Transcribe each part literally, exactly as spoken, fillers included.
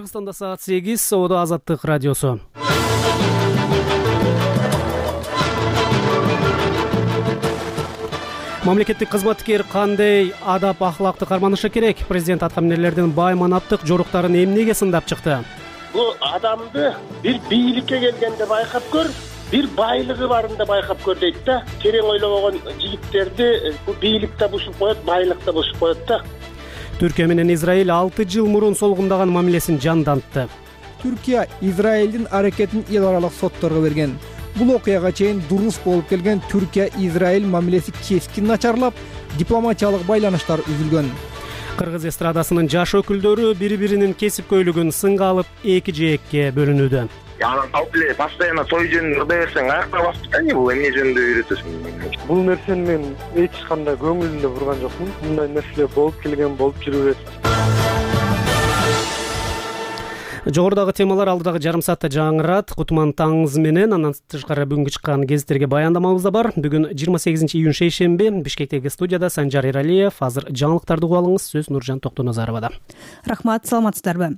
Кыргызстанда саат сегиз, Соода Азаттык радиосу. Мамлекеттик кызматкер кандай адап ахлакты карманышы керек? Президент аткаминерлердин бай манаттык жоруктарын эмнеге сындап чыкты? Бул адамды бир бийликке келгенде байкап көр, бир байлыгы барында байкап көр дейт да. Терең ойлобогон жигиттерди бул бийликте бушуп коет, байлыкта бушуп коет да. Түркия менен Израиль алты жыл мурун солгундаган мамилесин жандантты. Түркия Израилдин аракетин эл аралык сотторго берген. Бул окуяга чейин дурус болуп келген Түркия-Израиль мамилеси кескин начарлап, дипломатиялык байланыштар үзүлгөн. Кыргыз эстрадасынын жаш өкүлдөрү бири-биринин кесип-көйлүгүн сынга алып эки жээкке бөлүнүүдө. Анан алып эле постоянно той жөнүндө ырдай берсең аякта басып кане бул эмне жөнүндө үйрөтөсүң? Бул нерсени мен эч кандай көңүлүмдө бурган жокмун. Мындай нерселер болуп келген, болуп жүрө берет. Жогорудагы темалар алдыдагы жарым саатта жаңырат. Кутман таңыңыз менен, андан тышкары бүгүнкү чыккан гезиттерге баяндамабыз да бар. Бүгүн жыйырма сегизинчи июнь шейшемби. Бишкектеги студияда Санжар Эралиев. Азыр жаңылыктарды угуп алыңыз. Сөз Нуржан Токтоназаровада. Рахмат, саламатсыздарбы?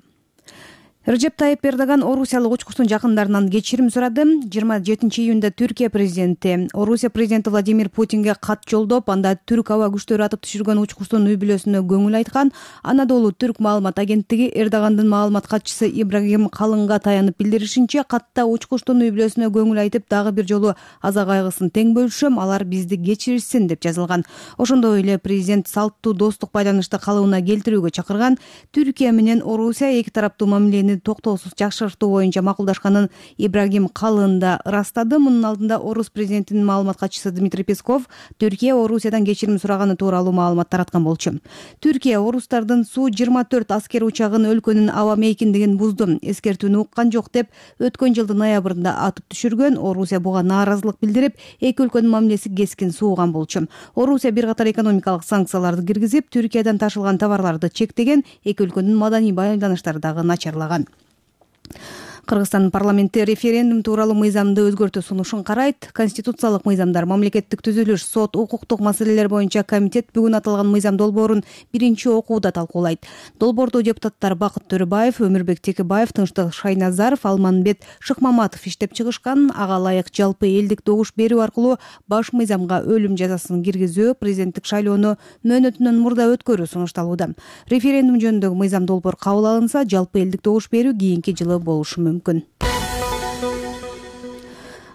Режеп Тайип Эрдоган орусиялык учкучтун жакындарынан кечирим сурады. жыйырма жетинчи июнда Түркия президенти Орусия президенти Владимир Путинге кат жолдоп, анда түрк аба күчтөрү атып түшүргөн учкучтун үй бүлөсүнө көңүл айткан. Анадолу түрк маалымат агенттиги Эрдогандын маалымат катчысы Ибрагим Калынга таянып билдиришинче, катта учкучтун үй бүлөсүнө көңүл айтып, дагы бир жолу аза кайгысын тең бөлүшөм, алар бизди кечиришсин деп жазылган. Ошондой эле президент салттуу достук байланышты калыбына келтирүүгө чакырган. Түркия менен Орусия эки тараптуу мамилени токтоосуз жакшыртуу боюнча макулдашканын Ибрагим Калын да ырастады. Мунун алдында Орус президентинин маалымат катчысы Дмитрий Песков Түркия Орусиядан кечирим сураганы тууралуу маалымат тараткан болчу. Түркия орустардын Су жыйырма төрт аскер учагын өлкөнүн аба мейкиндигин бузду, эскертүүнү уккан жок деп өткөн жылдын ноябрында атып түшүргөн. Орусия буга нааразылык билдирип, эки өлкөнүн мамилеси кескин сууган болчу. Орусия бир катар экономикалык санкцияларды киргизип, Түркиядан ташылган товарларды чектеген, эки өлкөнүн маданий байланыштары дагы начарлаган. Кыргызстан парламенти референдум тууралуу мыйзамды өзгөртүү сунушун карайт. Конституциялык мыйзамдар, мамлекеттик түзүлүш, сот, укуктук маселелер боюнча комитет бүгүн аталган мыйзам долбоорун биринчи окууда талкуулайт. Долбоордо депутаттар Бакыт Төрөбаев, Өмүрбек Текебаев, Тынчтык Шайназаров, Алманбет Шыкмаматов иштеп чыгышкан. Ага ылайык жалпы элдик добуш берүү аркылуу баш мыйзамга өлүм жазасын киргизүү, президенттик шайлоону мөөнөтүнөн мурда өткөрүү сунушталууда. Референдум жөнүндөгү мыйзам долбоор кабыл алынса, жалпы элдик добуш берүү кийинки жылы болушу мүмкүн.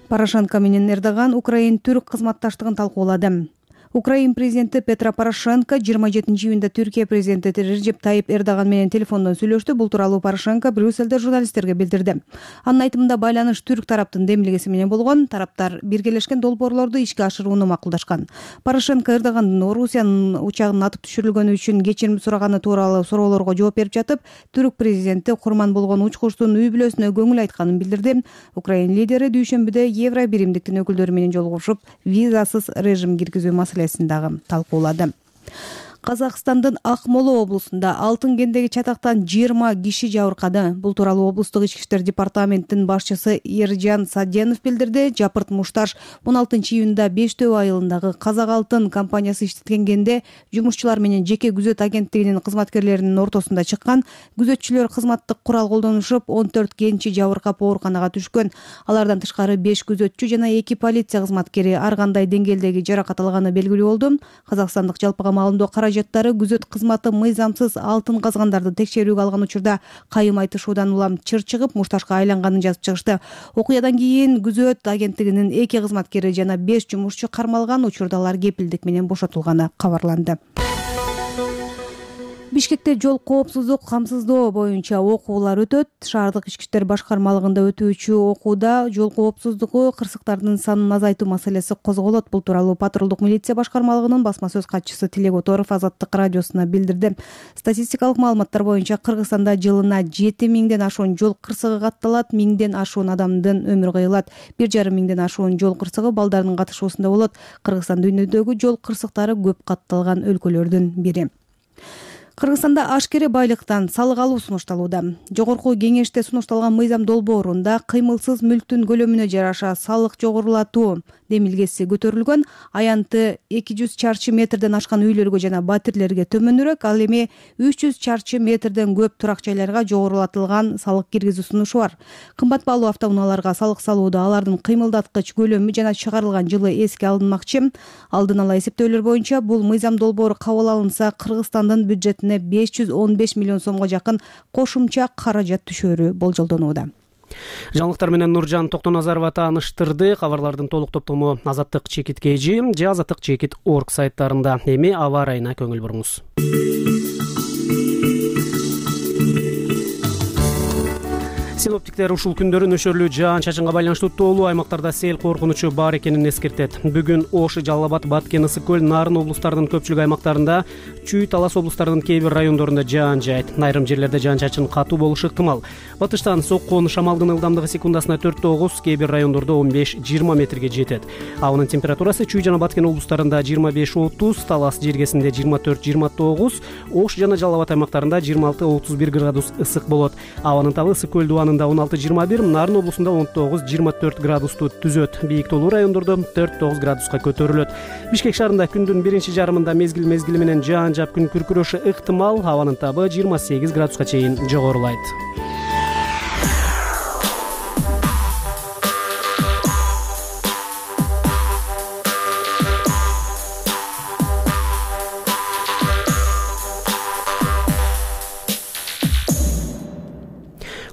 Порошенко менен Эрдоган Украин-түрк кызматташтыгын талкуулады. Украин президенти Петро Порошенко жыйырма жетинчи июнда Түркия президенти Режеп Тайип Эрдоган менен телефондон сүйлөштү. Бул тууралуу Порошенко Брюссельде журналисттерге билдирди. Анын айтымында байланыш түрк тараптын демилгеси менен болгон. Тараптар биргелешкен долбоорлорду ишке ашырууну макулдашкан. Порошенко Эрдогандын Орусиянын учагынын атып түшүрүлгөнү үчүн кечирим сураганы тууралуу суроолорго жооп берип жатып, түрк президенти курман болгон учкучтун үй бүлөсүнө көңүл айтканын билдирди. Украин лидери дүйшөмбүдө Евро биримдиктин өкүлдөрү менен жолугушуп, визасыз режим киргизүү маселесин дагы талкуулады. Казакстандын Акмола облусунда алтын кендеги чатактан жыйырма киши жабыркады. Бул тууралуу облустук ички иштер департаментинин башчысы Эржан Саденов билдирди. Жапырт Мушташ он алтынчы июнда Бештөө айылындагы Казак алтын компаниясы иштеткен кенде жумушчулар менен жеке күзөт агенттигинин кызматкерлеринин ортосунда чыккан. Күзөтчүлөр кызматтык курал колдонушуп, он төрт кенчи жабыркап ооруканага түшкөн. Алардан тышкары беш күзөтчү жана эки полиция кызматкери ар кандай деңгээлдеги жаракат алганы белгилүү болду. Казакстандык жалпыга маалымдоо каражаттары күзөт кызматы мыйзамсыз алтын казгандарды текшерүүгө алган учурда кайым айтышуудан улам чыр чыгып, Мушташка айланганын жазып чыгышты. Окуядан кийин күзөт агенттигинин эки кызматкери жана беш жумушчу кармалган. Учурда алар кепилдик менен бошотулганы кабарланды. Бишкекте жол коопсуздук камсыздоо боюнча окуулар өтөт. Шаардык ички иштер башкармалыгында өтүүчү окууда жол коопсуздугу, кырсыктардын санын азайтуу маселеси козголот. Бул тууралуу патрулдук милиция башкармалыгынын басма сөз катчысы Тилек Оторов Азаттык радиосуна билдирди. Статистикалык маалыматтар боюнча Кыргызстанда жылына жети миңден ашуун жол кырсыгы катталат, миңден ашуун адамдын өмүрү кыйылат. бир жарым миңден ашуун жол кырсыгы балдардын катышуусунда болот. Кыргызстан дүйнөдөгү жол кырсыктары көп катталган өлкөлөрдүн бири. Кыргызстанда ашкере байлыктан салык алуу сунушталууда. Жогорку кеңеште сунушталган мыйзам долбоорунда кыймылсыз мүлктүн көлөмүнө жараша салык жогорулатуу демилгеси көтөрүлгөн. Аянты эки жүз чарчы метрден ашкан үйлөргө жана батирлерге төмөнүрөөк, ал эми үч жүз чарчы метрден көп турак жайларга жогорулатылган салык киргизүү сунушу бар. Кымбат баалуу автоунааларга салык салууда алардын кыймылдаткыч көлөмү жана чыгарылган жылы эске алынмакчы. Алдын ала эсептөөлөр боюнча бул мыйзам долбоору кабыл алынса, Кыргызстандын бюджетине беш жүз он беш миллион сомго жакын кошумча каражат түшөөрү болжолдонууда. Жаңылыктар менен Нуржан Токтоназарова тааныштырды. Кабарлардын толук топтому Азаттык чекит кж же азаттык чекит точка орг сайттарында. Эми аба ырайына көңүл буруңуз. Синоптиктер ушул күндөрү нөшөрлүү жаан-чачынга байланыштуу тоолуу аймактарда сел коркунучу бар экенин эскертет. Бүгүн Ош, Жалал Абад, Баткен, Ысык көл, Нарын облустарынын көпчүлүк аймактарында, Чүй, Талас облустарынын кээ бир райондорунда жаан жаайт. Айрым жерлерде жаан-чачын катуу болушу ыктымал. Батыштан соккон шамалдын ылдамдыгы секундасына төрт тогуз, кээ бир райондордо он беш жыйырма метрге жетет. Абанын температурасы Чүй жана Баткен облустарында жыйырма беш отуз, Талас жергесинде жыйырма төрт жыйырма тогуз, Ош жана Жалал Абад аймактарында жыйырма алты отуз бир градус ысык болот. Абанын табы Ысык көл дубанында он алты жыйырма бир, Нарын облусунда он тогуз жыйырма төрт градусту түзөт. Бийик тоолуу райондордо төрт тогуз градуска көтөрүлөт. Бишкек шаарында күндүн биринчи жарымында мезгил мезгили менен жаан жаап күн күркүрөшү ыктымал. Абанын табы жыйырма сегиз градуска чейин жогорулайт.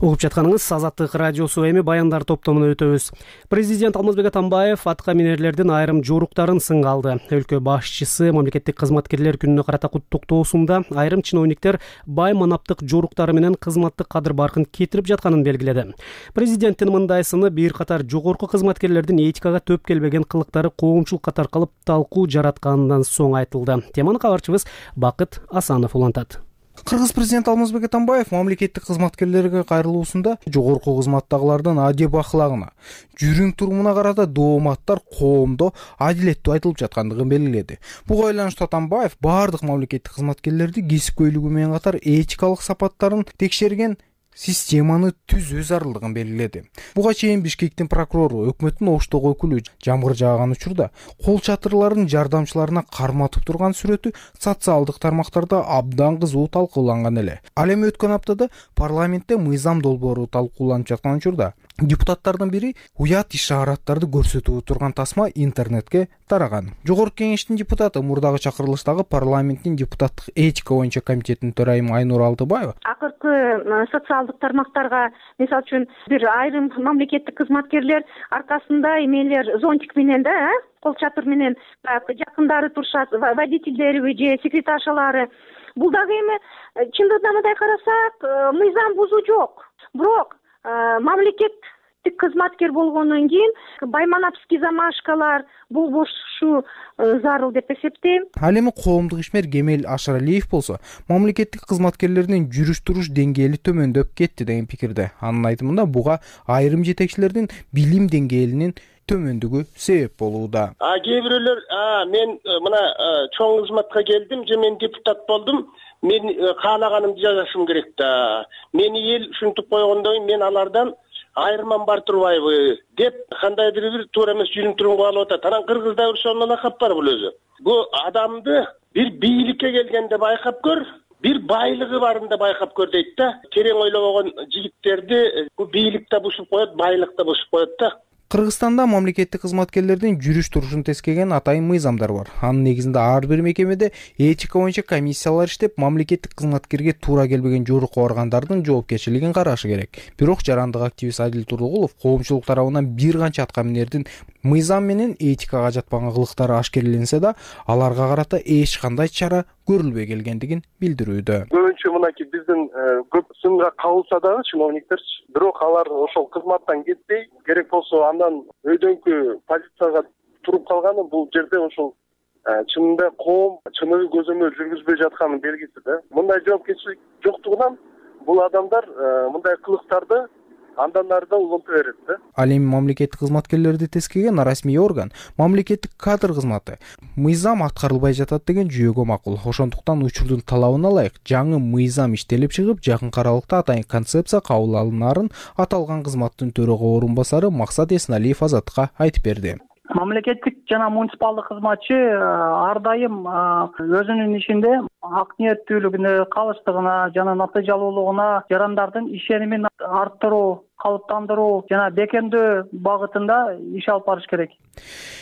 Угуп жатканыңыз Азаттык радиосу. Эми баяндар топтомуна өтөбүз. Президент Алмазбек Атамбаев атка минерлердин айрым жоруктарын сынга алды. Өлкө башчысы мамлекеттик кызматкерлер күнүнө карата куттуктоосунда айрым чиновниктер бай манаптык жоруктары менен кызматтык кадыр баркын кетирип жатканын белгиледи. Президенттин мындай сыны бир катар жогорку кызматкерлердин этикага төп келбеген кылыктары коомчулукка таркалып талкуу жаратканынан соң айтылды. Теманы кабарчыбыз Бакыт Асанов улантат. Кыргыз президенти Алмазбек Атамбаев мамлекеттик кызматкерлерге кайрылуусунда жогорку кызматтагылардын адеп аклагына, жүрүм турумуна карата дооматтар коомдо адилеттүү айтылып жаткандыгын белгиледи. Буга байланыштуу Атамбаев баардык мамлекеттик кызматкерлерди кесипкөйлүгү менен катар этикалык сапаттарын текшерген системаны түзүү зарылдыгын белгиледи. Буга чейин Бишкектин прокурору өкмөттүн Оштогу өкүлү жамгыр жааган учурда кол чатырларын жардамчыларына карматып турган сүрөтү социалдык тармактарда абдан кызуу талкууланган эле. Ал эми өткөн аптада парламентте мыйзам долбоору талкууланып жаткан учурда депутаттардын бири уят ишараттарды көрсөтүп турган тасма интернетке тараган. Жогорку кеңештин депутаты мурдагы чакырылыштагы парламенттин депутаттык этика боюнча комитетинин төрайымы Айнур Алтыбаева акыркы социалдык тармактарга, мисалы үчүн, бир айрым мамлекеттик кызматкерлер аркасында эмелер зонтик менен да, кол чатыр менен жакындары турушат, водительдери же секретаршалары. Бул дагы эми чындыгында мындай карасак, мыйзам бузуу жок. Бирок мамлекеттик кызматкер болгондон кийин байманапский замашкалар болбошу зарыл деп эсептейм. Ал эми коомдук ишмер Кемел Ашаралиев болсо мамлекеттик кызматкерлердин жүрүш туруш деңгээли төмөндөп кетти деген пикирде. Анын айтымында буга айрым жетекчилердин билим деңгээлинин төмөндүгү себеп болууда. А кээ бирөөлөр, а мен мына чоң кызматка келдим же мен депутат болдум, мен каалаганымды жазышым керек да. Мени эл ушинтип койгондон кийин мен алардан айырман бар турбайбы деп кандайдыр бир туура эмес жүрүм турумга алып атат. Анан кыргызда бир сонун лакап бар бул өзү. Бул адамды бир бийликке келгенде байкап көр, бир байлыгы барында байкап көр дейт да. Терең ойлобогон жигиттерди бул бийлик да бушуп коет, байлык да бушуп коет да. Кыргызстанда мамлекеттик кызматкерлердин жүрүш турушун тескеген атайын мыйзамдар бар. Анын негизинде ар бир мекемеде этика боюнча комиссиялар иштеп, мамлекеттик кызматкерге туура келбеген жорук баргандардын жоопкерчилигин карашы керек. Бирок жарандык активист Адил Турдугулов коомчулук тарабынан бир канча атка минердин мыйзам менен этикага жатпаган кылыктары ашкереленсе да, аларга карата эч кандай чара көрүлбөй келгендигин билдирүүдө. Көбүнчө мынакей биздин көп сынга кабылса дагы чиновниктер, бирок алар ошол кызматтан кетпей, керек болсо андан өйдөнкү позицияга туруп калганы бул жерде ошол чынында коом чыныгы көзөмөл жүргүзбөй жатканын белгиси да. Мындай жоопкерчилик жоктугунан бул адамдар мындай кылыктарды андан ары да уланта берет да. Ал эми мамлекеттик кызматкерлерди тескеген расмий орган мамлекеттик кадр кызматы мыйзам аткарылбай жатат деген жүйөгө макул. Ошондуктан учурдун талабына ылайык жаңы мыйзам иштелип чыгып, жакын аралыкта атайын концепция кабыл алынарын аталган кызматтын төрага орунбасары Максат Эсеналиев Азаттыкка айтып берди. Мамлекеттик жана муниципалдык кызматчы ар дайым өзүнүн ишинде ак ниеттүүлүгүнө, калыстыгына жана натыйжалуулугуна жарандардын ишенимин арттыруу, калыптандыруу жана бекемдөө багытында иш алып барыш керек.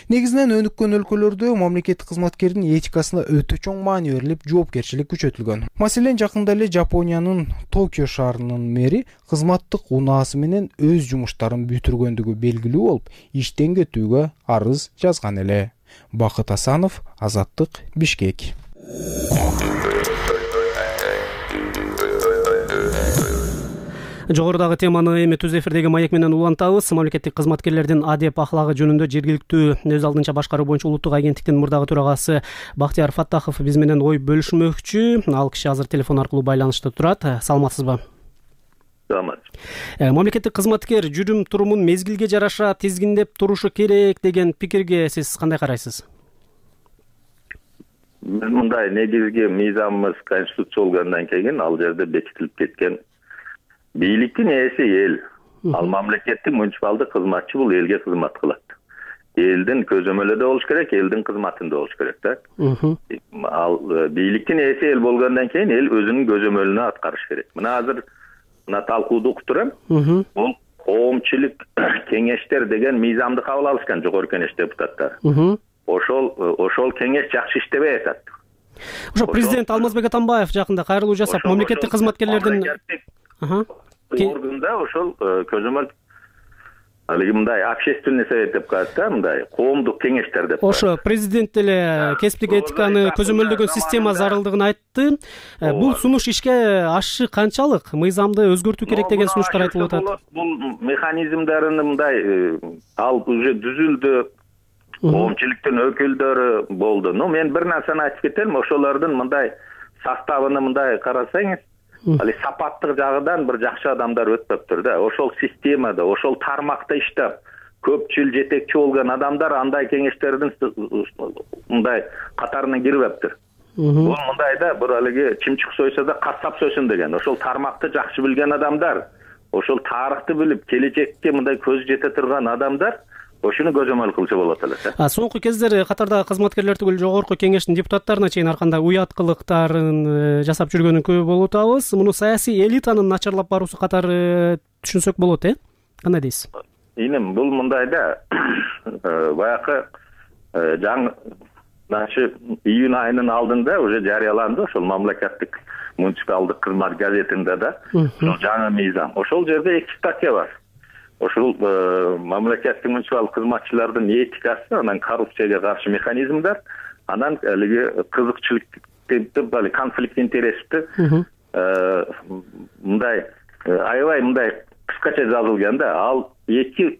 Негизинен өнүккөн өлкөлөрдө мамлекеттик кызматкердин этикасына өтө чоң маани берилип, жоопкерчилик күчөтүлгөн. Маселен, жакында эле Жапониянын Токио шаарынын мэри кызматтык унаасы менен өз жумуштарын бүтүргөндүгү белгилүү болуп, иштен кетүүгө арыз жазган эле. Бакыт Асанов, Азаттык, Бишкек. Жогорудагы теманы эми түз эфирдеги маек менен улантабыз. Мамлекеттик кызматкерлердин адеп ахлагы жөнүндө жергиликтүү өз алдынча башкаруу боюнча улуттук агенттиктин мурдагы төрагасы Бактияр Фаттахов биз менен ой бөлүшмөкчү. Ал киши азыр телефон аркылуу байланышта турат. Саламатсызбы? Саламат. Мамлекеттик кызматкер жүрүм турумун мезгилге жараша тизгиндеп турушу керек деген пикирге сиз кандай карайсыз? Мындай негизги мыйзамыбыз конституция болгондон кийин ал жерде бекитилип кеткен бийликтин ээси эл. Ал мамлекеттик муниципалдык кызматчы бул элге кызмат кылат. Элдин көзөмөлүндө болуш керек, элдин кызматында болуш керек да. Ал бийликтин ээси эл болгондон кийин эл өзүнүн көзөмөлүнө аткарыш керек. Мына азыр мына талкууду угуп турам. Бул коомчулук кеңештер деген мыйзамды кабыл алышкан жогорку кеңеш депутаттары. Ошол ошол кеңеш жакшы иштебей атат. Ошо президент Алмазбек Атамбаев жакында кайрылуу жасап, мамлекеттик кызматкерлердин органда ошол көзөмөл алиги мындай общественный совет деп коет да, мындай коомдук кеңештер деп. Ошо президент деле кесиптик этиканы көзөмөлдөгөн система зарылдыгын айтты. Бул сунуш ишке ашышы канчалык? Мыйзамды өзгөртүү керек деген сунуштар айтылып атат. Бул механизмдерин мындай ал уже түзүлдү. Коомчулуктун өкүлдөрү болду. Но мен бир нерсени айтып кетем, ошолордун мындай составын мындай карасаңыз, али сапаттык жагынан бир жакшы адамдар өтпөптүр да. Ошол системада, ошол тармакта иштеп, көпчүл жетекчи болгон адамдар андай кеңештердин мындай катарына кирбептир. Бул мындайда бир алиги чымчык сойсо да кассап сойсун деген. Ошол тармакты жакшы билген адамдар, ошол тарыхты билип, келечекке мындай көз жете турган адамдар ошону көзөмөл кылса болот эле. А соңку кездер катардагы кызматкерлер түгүл жогорку кеңештин депутаттарына чейин ар кандай уят кылыктарын жасап жүргөнүн көп болуп атабыз. Муну саясий элитанын начарлап баруусу катары түшүнсөк болот, э? Кандай дейсиз? Инем, бул мындайда баягы жаңы нашы июнь айынын алдында уже жарыяланды ошол мамлекеттик муниципалдык кызмат газетинде да жаңы мыйзам. Ошол жерде эки статья бар. Ошол мамлекеттик муниципалдык кызматчылардын этикасы, анан коррупцияга каршы механизмдер, анан алиги кызыкчылык деп али конфликт интерести мындай аябай мындай кыскача жазылган да. Ал эки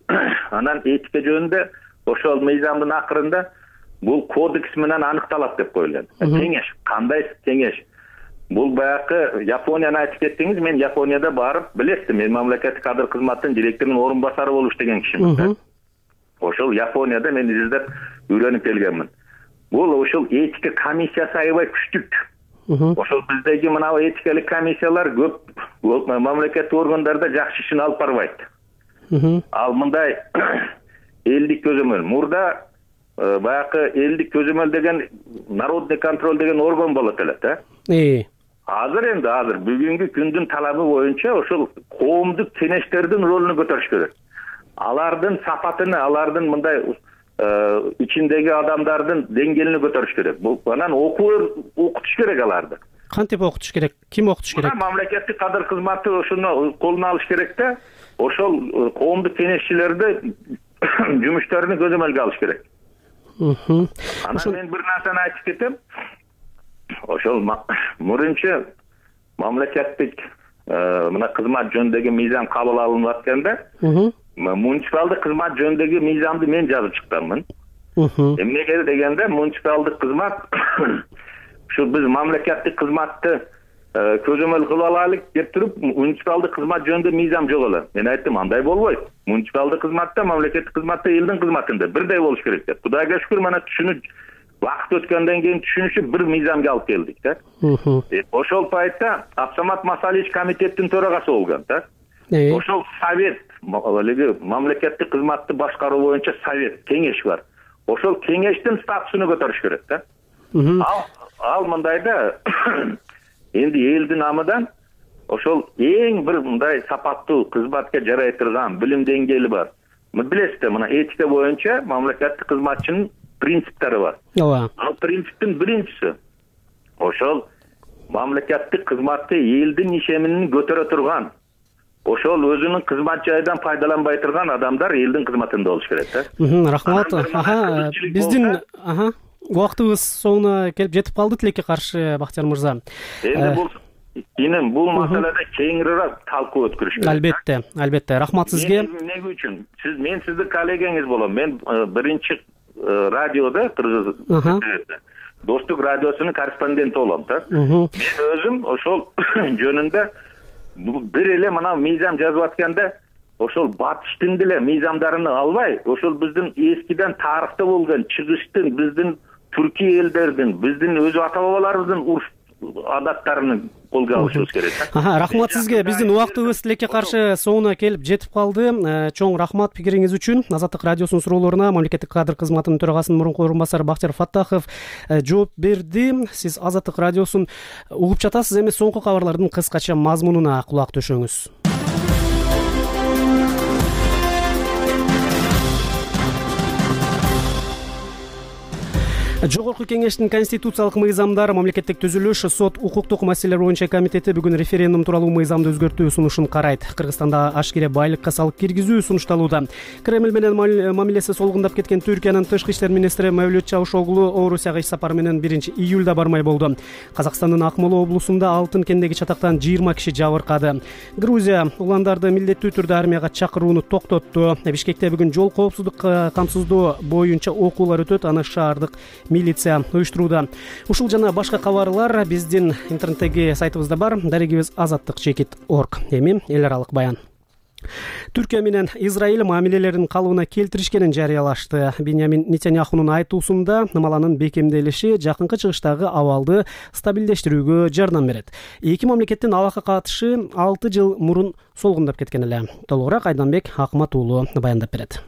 анан этика жөнүндө ошол мыйзамдын акырында бул кодекс менен аныкталат деп коюлган. Кеңеш, кандай кеңеш? Бул баягы Японияны айтып кеттиңиз, мен Японияда барып билесизби, мен мамлекеттик кадр кызматынын директорунун орун басары болуп иштеген кишимин. Ошол Японияда мен издеп үйрөнүп келгенмин. Бул ошол этика комиссиясы аябай күчтүк. Ошол биздеги мына этикалык комиссиялар көп мамлекеттик органдарда жакшы ишин алып барбайт. Ал мындай элдик көзөмөл. Мурда баягы элдик көзөмөл деген народный контроль деген орган болот эле, да? Э. Азыр энди азыр бүгүнкү күндүн талабы боюнча ошол коомдук кеңештердин ролун көтөрүш керек. Алардын сапатыны, алардын мындай ичиндеги адамдардын деңгээлин көтөрүш керек. Бул анан окуу окутуш керек аларды. Кантип окутуш керек? Ким окутуш керек? Мамлекеттик кадр кызматы ошону колуна алыш керек да. Ошол коомдук кеңешчилерди жумуштарын көзөмөлгө алыш керек. Анан мен бир нерсени айтып кетем. Ошол мурунчу мамлекеттик мына кызмат жөнүндөгү мыйзам кабыл алынып атканда, муниципалдык кызмат жөнүндөгү мыйзамды мен жазып чыкканмын. Эмнеге дегенде, муниципалдык кызмат ушу биз мамлекеттик кызматты көзөмөл кылып алайлык деп туруп муниципалдык кызмат жөнүндө мыйзам жок эле. Мен айттым, андай болбойт. Муниципалдык кызматта, мамлекеттик кызматта элдин кызматында бирдей болуш керек деп. Кудайга шүгүр, мана түшүнүп вакыт өткөндөн кийин түшүнүшүп бир мыйзамга алып келдик да. Ошол пайтта Абсамат Масалич комитеттин төрагасы болгон да. Ошол совет, мамлекеттик кызматты башкаруу боюнча совет, кеңеш бар. Ошол кеңештин статусуну көтөрүш керек да. Ал ал мындайда энди элдин намыдан ошол эң бир мындай сапаттуу кызматка жарай турган билим деңгээли бар. Билесиз да, мына этика боюнча мамлекеттик кызматчынын принциптери бар. Ооба. Ал принциптин биринчиси ошол мамлекеттик кызматты элдин ишенимин көтөрө турган, ошол өзүнүн кызмат жайынан пайдаланбай турган адамдар элдин кызматында болуш керек да. Рахмат. Аха, биздин аха убактыбыз соңуна келип жетип калды. Тилекке каршы Бактияр мырза. Энди бул инем бул маселеде кеңирээк талкуу өткөрүш керек. Албетте, албетте. Рахмат сизге. Эмне үчүн? Сиз мен сиздин коллегаңыз болом. Мен биринчи радиода Кыргыз Достук радиосунун корреспонденти болом да. Мен өзүм ошол жөнүндө бир эле мына мыйзам жазып атканда ошол батыштын деле мыйзамдарын албай, ошол биздин эскиден тарыхта болгон чыгыштын, биздин түрки элдердин, биздин өз ата бабаларыбыздын урус адаттарын колго алышыбыз керек. Аха, рахмат сизге. Биздин убактыбыз тилекке каршы соңуна келип жетип калды. Чоң рахмат пикириңиз үчүн. Азаттык радиосунун суроолоруна мамлекеттик кадр кызматынын төрагасынын мурунку орун басары Бактияр Фаттахов жооп берди. Сиз Азаттык радиосун угуп жатасыз. Эми соңку кабарлардын кыскача мазмунуна кулак төшөңүз. Жогорку кеңештин конституциялык мыйзамдар, мамлекеттик түзүлүш, сот, укуктук маселелер боюнча комитети бүгүн референдум тууралуу мыйзамды өзгөртүү сунушун карайт. Кыргызстанда ашкере байлыкка салык киргизүү сунушталууда. Кремль менен мамилеси солгундап кеткен Түркиянын тышкы иштер министри Мевлют Чавушоглу Орусияга иш сапары менен биринчи июлда бармай болду. Казакстандын Акмола облусунда алтын кендеги чатактан жыйырма киши жабыркады. Грузия уландарды милдеттүү түрдө армияга чакырууну токтотту. Бишкекте бүгүн жол коопсуздук камсыздоо боюнча окуулар өтөт. Аны шаардык милиция уюштурууда. Ушул жана башка кабарлар биздин интернеттеги сайтыбызда бар. Дарегибиз азаттык чекит точка орг. Эми эл аралык баян. Түркия менен Израиль мамилелерин калыбына келтиришкенин жарыялашты. Беньямин Нетаньяхунун айтуусунда Намаланын бекемделиши жакынкы чыгыштагы абалды стабилдештирүүгө жардам берет. Эки мамлекеттин алакка катышы алты жыл мурун солгундап кеткен эле. Толугураак Айданбек Акмат уулу баяндап берет.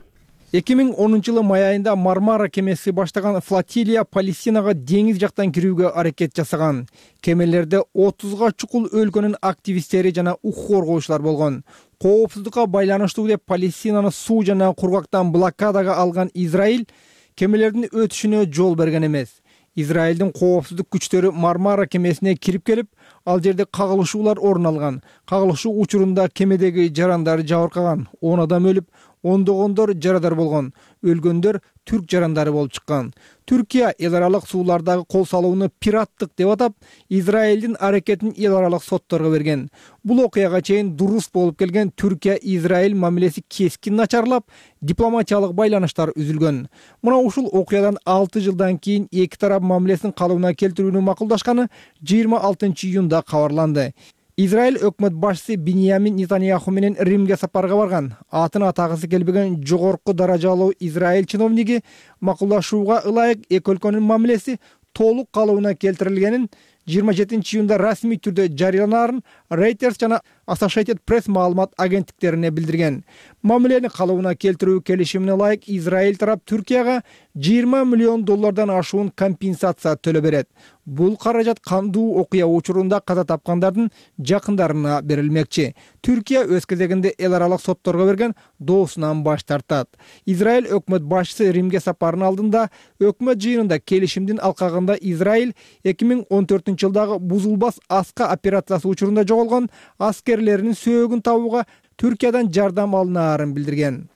эки миң онунчу жылы май айында Мармара кемеси баштаган флотилия Палестинага деңиз жактан кирүүгө аракет жасаган. Кемелерде отузга чукул өлкөнүн активисттери жана укук коргоочулар болгон. Коопсуздукка байланыштуу деп Палестинаны суу жана кургактан блокадага алган Израиль кемелердин өтүшүнө жол берген эмес. Израилдин коопсуздук күчтөрү Мармара кемесине кирип келип, ал жерде кагылышуулар орун алган. Кагылышуу учурунда кемедеги жарандар жабыркаган. он адам өлүп, ондогондор жарадар болгон. Өлгөндөр түрк жарандары болуп чыккан. Түркия эл аралык суулардагы кол салууну пираттык деп атап, Израилдин аракетин эл аралык сотторго берген. Бул окуяга чейин дурус болуп келген Түркия-Израиль мамилеси кескин начарлап, дипломатиялык байланыштар үзүлгөн. Мына ушул окуядан алты жылдан кийин эки тарап мамилесин калыбына келтирүүнү макулдашканы жыйырма алтынчы июнда кабарланды. Израиль өкмөт башчысы Беньямин Нетаньяху менен Римге сапарга барган. Атын атагысы келбеген жогорку даражалуу Израиль чиновниги макулдашууга ылайык эки өлкөнүн мамилеси толук калыбына келтирилгенин жыйырма жетинчи июнда расмий түрдө жарыяланаарын Reuters жана Associated Press маалымат агенттиктерине билдирген. Мамилени калыбына келтирүү келишимине ылайык Израиль тарап Түркияга жыйырма миллион доллардан ашуун компенсация төлөп берет. Бул каражат кандуу окуя учурунда каза тапкандардын жакындарына берилмекчи. Түркия өз кезегинде эл аралык сотторго берген доосунан баш тартат. Израиль өкмөт башчысы Римге сапарынын алдында өкмөт жыйынында келишимдин алкагында Израиль эки миң он төртүнчү жылдагы бузулбас аска операциясы учурунда жоголгон аскерлеринин сөөгүн табууга Түркиядан жардам алынаарын билдирген.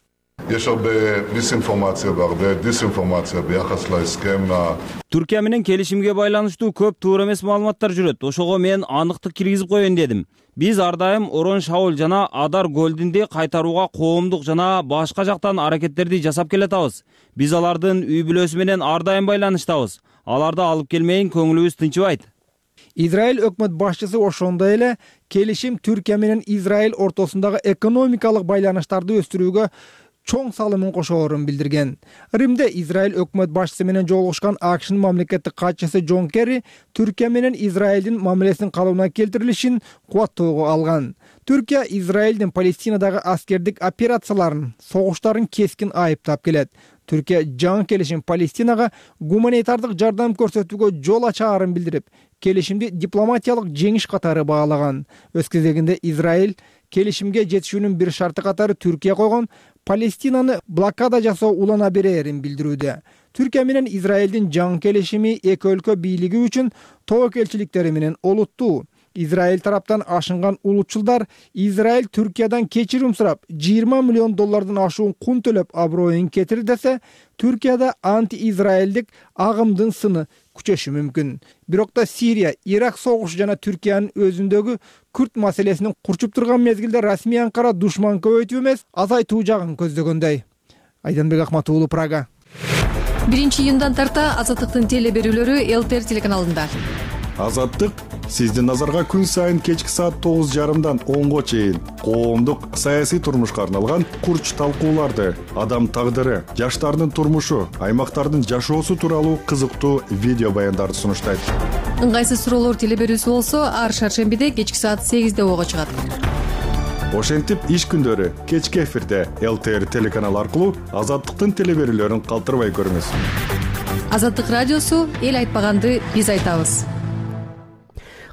Түркия менен келишимге байланыштуу көп туура эмес маалыматтар жүрөт. Ошого мен аныктык киргизип коеюн дедим. Биз ар дайым Орон Шаул жана Адар Голдинди кайтарууга коомдук жана башка жактан аракеттерди жасап келатабыз. Биз алардын үй бүлөсү менен ар дайым байланыштабыз. Аларды алып келмейин көңүлүбүз тынчыбайт. Израиль өкмөт башчысы ошондой эле келишим Түркия менен Израиль ортосундагы экономикалык байланыштарды өстүрүүгө чоң салымын кошоорун билдирген. Римде Израиль өкмөт башчысы менен жолугушкан АКШнын мамлекеттик катчысы Джон Керри Түркия менен Израилдин мамилесинин калыбына келтирилишин кубаттоого алган. Түркия Израилдин Палестинадагы аскердик операцияларын, согуштарын кескин айыптап келет. Түркия жаңы келишим Палестинага гуманитардык жардам көрсөтүүгө жол ачаарын билдирип, келишимди дипломатиялык жеңиш катары баалаган. Өз кезегинде Израиль келишимге жетишүүнүн бир шарты катары Түркия койгон Палестинаны блокада жасоо улана берерин билдирүүдө. Түркия менен Израилдин жаңы келишими эки өлкө бийлиги үчүн тобокелчиликтери менен олуттуу. Израиль тараптан ашынган улутчулдар Израиль Түркиядан кечирим сурап, жыйырма миллион доллардан ашуун кун төлөп аброюн кетир десе, Түркияда анти-израилдик агымдын сыны күчөшү мүмкүн. Бирок да Сирия, Ирак согушу жана Түркиянын өзүндөгү Күрд маселесинин курчуп турган мезгилде расмий Анкара душман көбөйтүү эмес, азайтуу жагын көздөгөндөй. Айданбек Акмат уулу, Прага. биринчи июндан тарта Азаттыктын теле берүүлөрү ЛТР телеканалында. Азаттык сиздин назарга күн сайын кечки саат тогуз жарымдан онго чейин коомдук саясий турмушка арналган курч талкууларды, адам тагдыры, жаштардын турмушу, аймактардын жашоосу тууралуу кызыктуу видео баяндарды сунуштайт. Ыңгайсыз суроолор теле берүүсү болсо, ар шаршембиде кечки саат сегизде ого чыгат. Ошентип иш күндөрү кечки эфирде ЛТР телеканалы аркылуу Азаттыктын теле берүүлөрүн калтырбай көрүңүз. Азаттык радиосу эл айтпаганды биз айтабыз.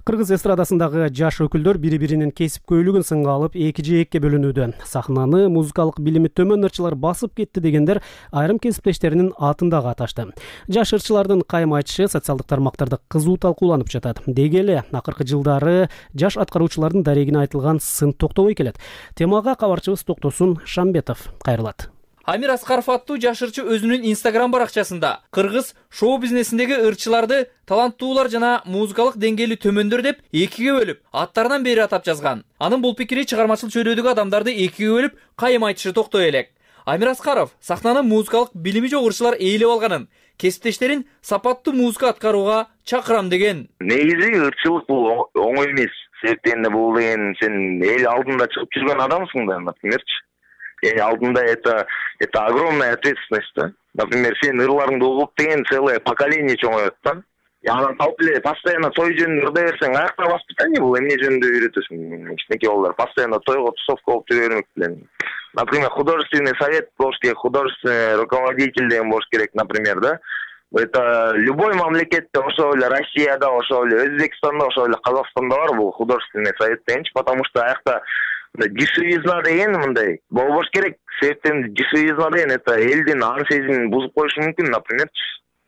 Кыргыз эстрадасындагы жаш өкүлдөр бири-биринин кесипкөйлүгүн сынга алып эки жээкке бөлүнүүдө. Сахнаны музыкалык билими төмөн ырчылар басып кетти дегендер айрым кесиптештеринин атын дагы аташты. Жаш ырчылардын кайым айтышы социалдык тармактарда кызуу талкууланып жатат. Деги эле акыркы жылдары жаш аткаруучулардын дарегине айтылган сын токтобой келет. Темага кабарчыбыз Токтосун Шамбетов кайрылат. Амир Аскаров аттуу жаш ырчы өзүнүн Инстаграм баракчасында кыргыз шоу бизнесиндеги ырчыларды таланттуулар жана музыкалык деңгээли төмөндөр деп экиге бөлүп, аттарынан бери атап жазган. Анын бул пикири чыгармачыл чөйрөдөгү адамдарды экиге бөлүп, кайым айтышы токтой элек. Амир Аскаров сахнаны музыкалык билими жок ырчылар ээлеп алганын, кесиптештерин сапаттуу музыка аткарууга чакырам деген. Негизи ырчылык бул оңой эмес. Себептен бул деген сен эл алдында чыгып жүргөн адамсың да, напримерчи. Эл алдында это это огромная ответственность, да. Например, сен ырларыңды угуп деген целое поколение чоңоет да. Анан талп эле постоянно той жөнүндө ырда берсең, аяктагы воспитание бул эмне жөнүндө үйрөтөсүң. Кичинекей балдар постоянно тойго тусовка болуп жүрө бермек белең. Например, художественный совет болуш керек, художественный руководитель деген болуш керек, например, да. Это любой мамлекетте, ошол эле Россияда, ошол эле Өзбекстанда, ошол эле Казакстанда бар бул художественный совет дегенчи, потому что аякта дешевизна деген мындай болбош керек. Себептен дешевизна деген это элдин ар сезимин бузуп коюшу мүмкүн, например.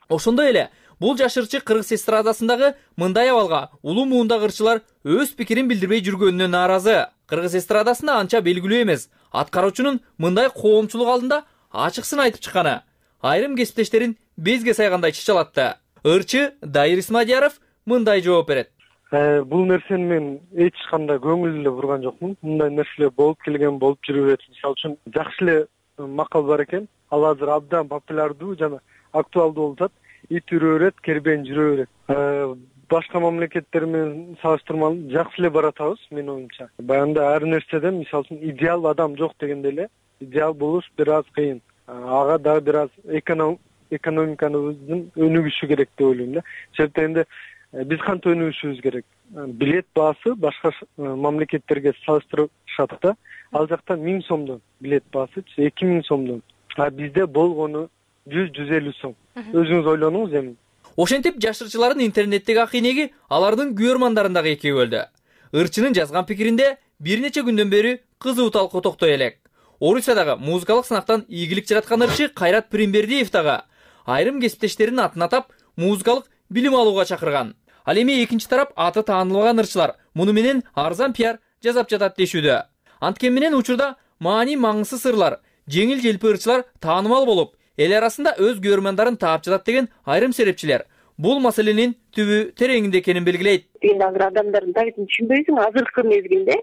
Ошондой эле бул жаш ырчы кыргыз эстрадасындагы мындай абалга улуу муундагы ырчылар өз пикирин билдирбей жүргөнүнө нааразы. Кыргыз эстрадасында анча белгилүү эмес. Аткаруучунун мындай коомчулук алдында ачык сын айтып чыкканы айрым кесиптештерин безге сайгандай чычалатты. Ырчы Дайыр Исмадияров мындай жооп берет. Бул нерсени мен эч кандай көңүл эле бурган жокмун. Мындай нерселер болуп келген, болуп жүрүп берет. Мисалы үчүн жакшы эле макал бар экен. Ал азыр абдан популярдуу жана актуалдуу болуп атат. Ит үрө берет, кербен жүрө берет. Башка мамлекеттер менен салыштырмалуу жакшы эле баратабыз, менин оюмча. Баягында ар нерседен мисалы үчүн идеал адам жок дегенде эле идеал болуш бир аз кыйын. Ага дагы бир аз экономиканын өнүгүшү керек деп ойлойм да. Себептен биз кантип өнүгүшүбүз керек? Билет баасы башка мамлекеттерге салыштырышат да. Ал жакта миң сомдон билет баасы эки миң сомдон. А бизде болгону жүз жүз элүү сом. Өзүңүз ойлонуңуз эми. Ошентип жаш ырчылардын интернеттеги акыйнеги алардын күйөрмандарын дагы экиге бөлдү. Ырчынын жазган пикиринде бир нече күндөн бери кызуу талкуу токтой элек. Орусиядагы музыкалык сынактан ийгилик жараткан ырчы Кайрат Пиримбердиев дагы айрым кесиптештеринин атын атап музыкалык билим алууга чакырган. Ал эми экинчи тарап аты таанылбаган ырчылар муну менен арзан пиар жасап жатат дешүүдө. Анткени менен учурда маани маңызсыз ырлар, жеңил желпи ырчылар таанымал болуп, эл арасында өз көрөрмандарын таап жатат деген айрым серепчилер бул маселенин түбү тереңинде экенин белгилейт. Адамдардын табитин түшүнбөйсүң, азыркы мезгилде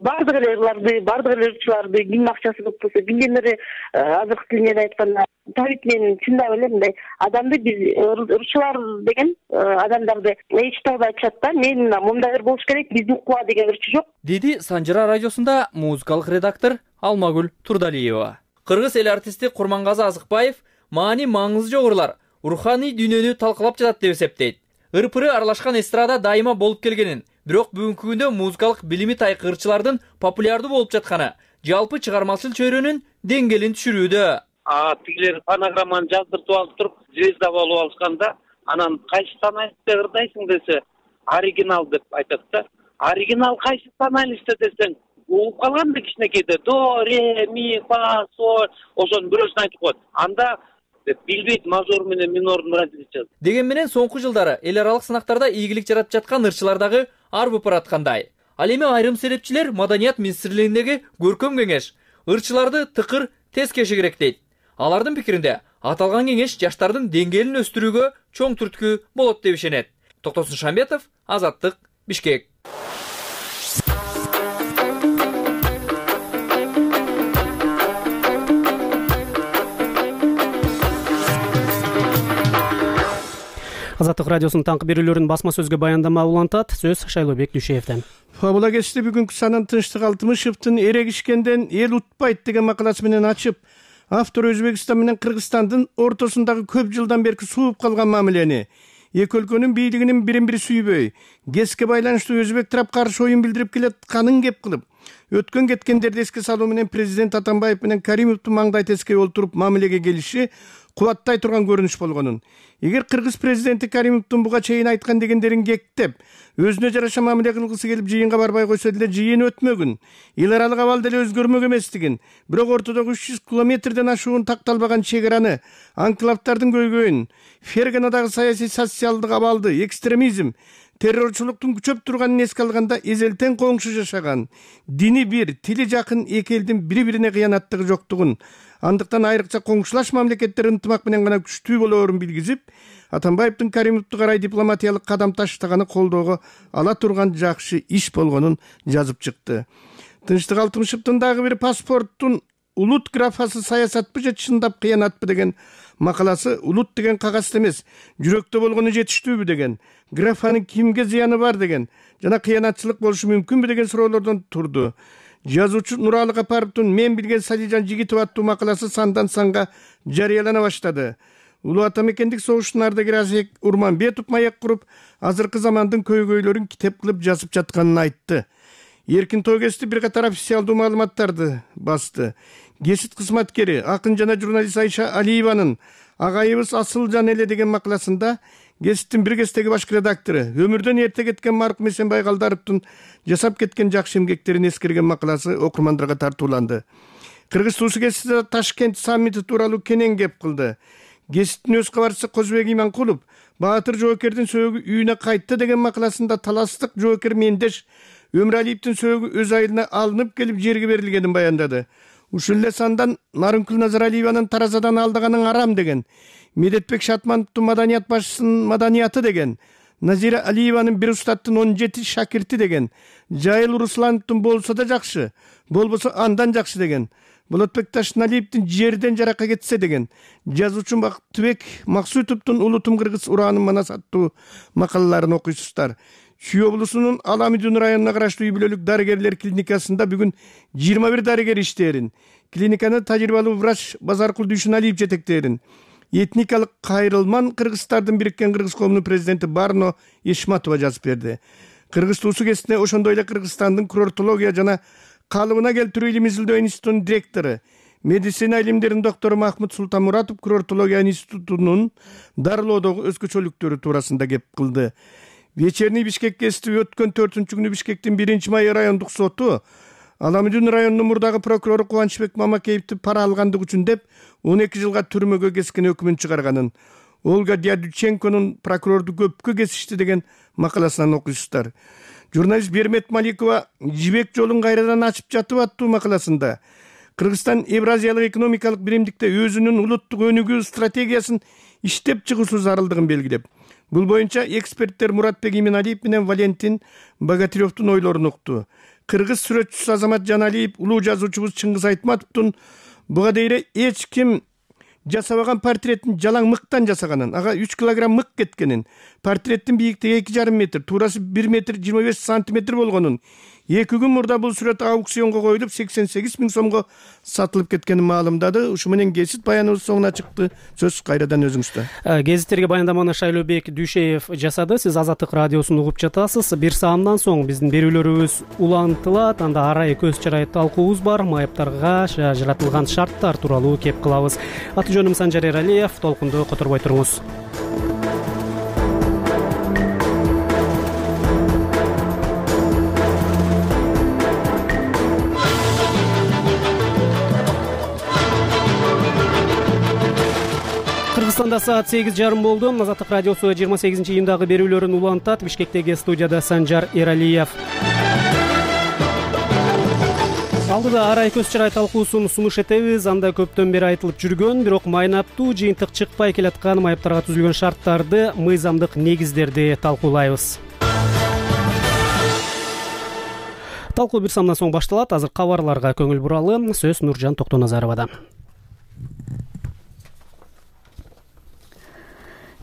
баардык эле ырларды, баардык эле ырчыларды кимдин акчасы көп болсо билген эле азыркы тил менен айтканда табит менен чындап эле мындай адамды биз ырчылар деген адамдарды эч тагда айтышат да, мен мындайлар болуш керек, бизди укпа деген ырчы жок, деди Санжара радиосунда музыкалык редактор Алмагүл Турдалиева. Кыргыз эл артисти Курмангазы Азыкбаев маани маңызы жок ырлар руханий дүйнөнү талкалап жатат деп эсептейт. Ырпыры аралашкан эстрада дайыма болуп келгенин, бирок бүгүнкү күндө музыкалык билими тайк ырчылардын популярдуу болуп жатканы жалпы чыгармачыл чөйрөнүн деңгээлин түшүрүүдө. А тигилер фонограмманы жаздыртып алып туруп, звезда болуп алышканда, анан кайсы тоналистте ырдайсың десе, оригинал деп айтат да. Оригинал кайсы тоналистте десең, угуп калганда кичинекейде до, ре, ми, фа, соль, ошонун бирөөсүн айтып коет. Анда билбейт мажор менен минордун различиясын. Деген менен соңку жылдары эл аралык сынактарда ийгилик жаратып жаткан ырчылар дагы арбып бараткандай. Ал эми айрым серепчилер Маданият министрлигиндеги көркөм кеңеш ырчыларды тыкыр тез кеше керек дейт. Алардын пикиринде аталган кеңеш жаштардын деңгээлин өстүрүүгө чоң түрткү болот деп ишенет. Токтосун Шамбетов, Азаттык, Бишкек. Азаттык радиосунун таңкы берүүлөрүн басма сөзгө баяндама улантат. Сөз Шайлообек Дүйшеевден. Фабула кечти бүгүнкү санын Тынчтык Алтымышевдин эрегишкенден эл утпайт деген макаласы менен ачып, автор Өзбекстан менен Кыргызстандын ортосундагы көп жылдан берки сууп калган мамилени, эки өлкөнүн бийлигинин бирин-бири сүйбөй, геске байланыштуу өзбек тарап каршы оюн билдирип келатканын кеп кылып, өткөн кеткендерди эске салуу менен президент Атамбаев менен Каримовдун маңдай тескей олтуруп мамилеге келиши кубаттай турган көрүнүш болгонун. Эгер кыргыз президенти Каримовдун буга чейин айткан дегендерин кектеп, өзүнө жараша мамиле кылгысы келип жыйынга барбай койсо деле жыйын өтмөгүн, эл аралык абал деле өзгөрмөк эместигин, бирок ортодогу үч жүз километрден ашуун такталбаган чек араны, анклавдардын көйгөйүн, Ферганадагы саясий социалдык абалды, экстремизм, террорчулуктун күчөп турганын эске алганда эзелтен коңшу жашаган, дини бир, тили жакын эки элдин бири-бирине кыянаттыгы жоктугун, андыктан айрыкча коңшулаш мамлекеттер ынтымак менен гана күчтүү болоорун билгизип, Атамбаевдин Каримовду карай дипломатиялык кадам таштаганы колдоого ала турган жакшы иш болгонун жазып чыкты. Тынчтык Алтымышевдин дагы бир паспорттун улут графасы саясатпы же чындап кыянатпы деген макаласы улут деген кагазда эмес, жүрөктө болгону жетиштүүбү деген, графанын кимге зыяны бар деген жана кыянатчылык болушу мүмкүнбү деген суроолордон турду. Жазуучу Нуралы Капаровдун Мен билген Салижан Жигитов аттуу макаласы сандан санга жарыялана баштады. Улуу ата мекендик согуштун ардагери Азек Урманбетов маяк куруп, азыркы замандын көйгөйлөрүн китеп кылып жазып жатканын айтты. Эркин Тойгести бир катар официалдуу маалыматтарды басты. Гесит кызматкери, акын жана журналист Айша Алиеванын Агайыбыз Асылжан эле деген макаласында Геситтин бир кездеги башкы редактору, өмүрдөн эрте кеткен маркум Эсенбай Калдаровдун жасап кеткен жакшы эмгектерин эскерген макаласы окурмандарга тартууланды. Кыргыз туусу Геситте Ташкент саммити тууралуу кенен кеп кылды. Геситтин өз кабарчысы Козбек Иманкулов Баатыр жоокердин сөөгү үйүнө кайтты деген макаласында таластык жоокер Мендеш Өмүралиевдин сөөгү өз айылына алынып келип жерге берилгенин баяндады. Ушул эле сандан Нарынкүл Назаралиеванын таразадан алдаганын арам деген, Медетбек Шатмановдун маданият башчысынын маданияты деген, Назира Алиеванын бир устаттын он жети шакирти деген, Жайыл Руслановдун болсо да жакшы, болбосо андан жакшы деген, Болотбек Ташналиевдин жерден жаракка кетсе деген, жазуучу Бактыбек Максутовдун Улутум Кыргыз ураанын манас аттуу макалаларын окуйсуздар. Чүй облусунун Аламидун районуна караштуу үй бүлөлүк дарыгерлер клиникасында бүгүн жыйырма бир дарыгер иштээрин, клиниканы тажрыйбалуу врач Базаркул Дүйшүналиев жетектээрин, этникалык кайрылман кыргыздардын бириккен кыргыз коомунун президенти Барно Ишматова жазып берди. Кыргыз туусу кесине ошондой эле Кыргызстандын курортология жана калыбына келтирүү илим изилдөө институтунун директору, медицина илимдеринин доктору Махмуд Султанмуратов курортология институтунун дарылоодогу өзгөчөлүктөрү туурасында кеп кылды. Вечерний Бишкек гезити өткөн төртүнчү күнү Бишкектин биринчи май райондук соту Аламидун районунун мурдагы прокурору Кубанычбек Мамакеевди пара алгандык үчүн деп он эки жылга түрмөгө кескен өкүмүн чыгарганын, Ольга Дядюченконун прокурорду көпкө кесишти деген макаласынан окуйсуздар. Журналист Бермет Маликова Жибек жолун кайрадан ачып жатып аттуу макаласында Кыргызстан Евразиялык экономикалык биримдикте өзүнүн улуттук өнүгүү стратегиясын иштеп чыгуусу зарылдыгын белгилеп, бул боюнча эксперттер Муратбек Иминалиев менен Валентин Богатыревдун ойлорун укту. кыргыз сүрөтчүсү Азамат Жаналиев, улуу жазуучубуз Чыңгыз Айтматовдун буга дейре эч ким жасабаган портреттин жалаң мыктан жасаганын, ага үч килограмм мык кеткенин, портреттин бийиктиги эки жарым метр, туурасы бир метр жыйырма беш сантиметр болгонун, эки күн мурда бул сүрөт аукционго коюлуп сексен сегиз миң сомго сатылып кеткенин маалымдады. Ушу менен гезит баяныбыз соңуна чыкты. Сөз кайрадан өзүңүздө. Гезиттерге баяндаманы Шайлообек Дүйшеев жасады. Сиз Азаттык радиосун угуп жатасыз. Бир саамдан соң биздин берүүлөрүбүз улантылат. Анда арай көз чарай талкуубуз бар. Майыптарга жаратылган шарттар тууралуу кеп кылабыз. Аты жөнүм Санжар Эралиев. Толкунду которбой туруңуз. Кыргызстанда саат сегиз жарым болду. Азаттык радиосу жыйырма сегизинчи июндагы берүүлөрүн улантат. Бишкектеги студияда Санжар Эралиев. Алдыда арай көз чарай талкуусун сунуш этебиз. Анда көптөн бери айтылып жүргөн, бирок майнаптуу жыйынтык чыкпай келаткан майыптарга түзүлгөн шарттарды, мыйзамдык негиздерди талкуулайбыз. Талкуу бир саамдан соң башталат. Азыр кабарларга көңүл буралы. Сөз Нуржан Токтоназаровада.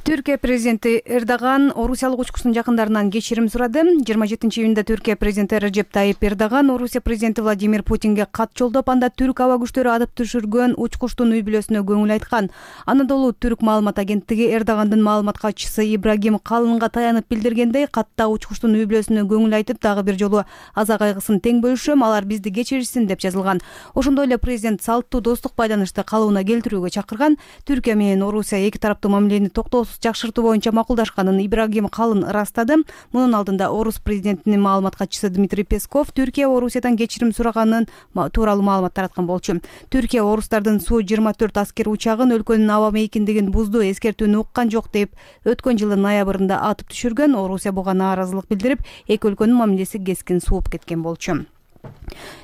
Түркия президенти Эрдоган орусиялык учкучтун жакындарынан кечирим сурады. жыйырма жетинчи июнда Түркия президенти Реджеп Тайип Эрдоган Орусия президенти Владимир Путинге кат жолдоп, анда түрк аба күчтөрү атып түшүргөн учкучтун үй бүлөсүнө көңүл айткан. Анадолу түрк маалымат агенттиги Эрдогандын маалымат катчысы Ибрагим Калынга таянып билдиргендей, катта учкучтун үй бүлөсүнө көңүл айтып, дагы бир жолу аза кайгысын тең бөлүшөм, алар бизди кечиришсин деп жазылган. Ошондой эле президент салттуу достук байланышты калыбына келтирүүгө чакырган. Түркия менен Орусия эки тараптуу мамилени токтоосуз жакшыртуу боюнча макулдашканын Ибрагим Калын ырастады. Мунун алдында Орус президентинин маалымат катчысы Дмитрий Песков Түркия Орусиядан кечирим сураганын тууралуу маалымат тараткан болчу. Түркия орустардын Су жыйырма төрт аскер учагын өлкөнүн аба мейкиндигин бузду, эскертүүнү уккан жок деп өткөн жылдын ноябрында атып түшүргөн. Орусия буга нааразылык билдирип, эки өлкөнүн мамилеси кескин сууп кеткен болчу.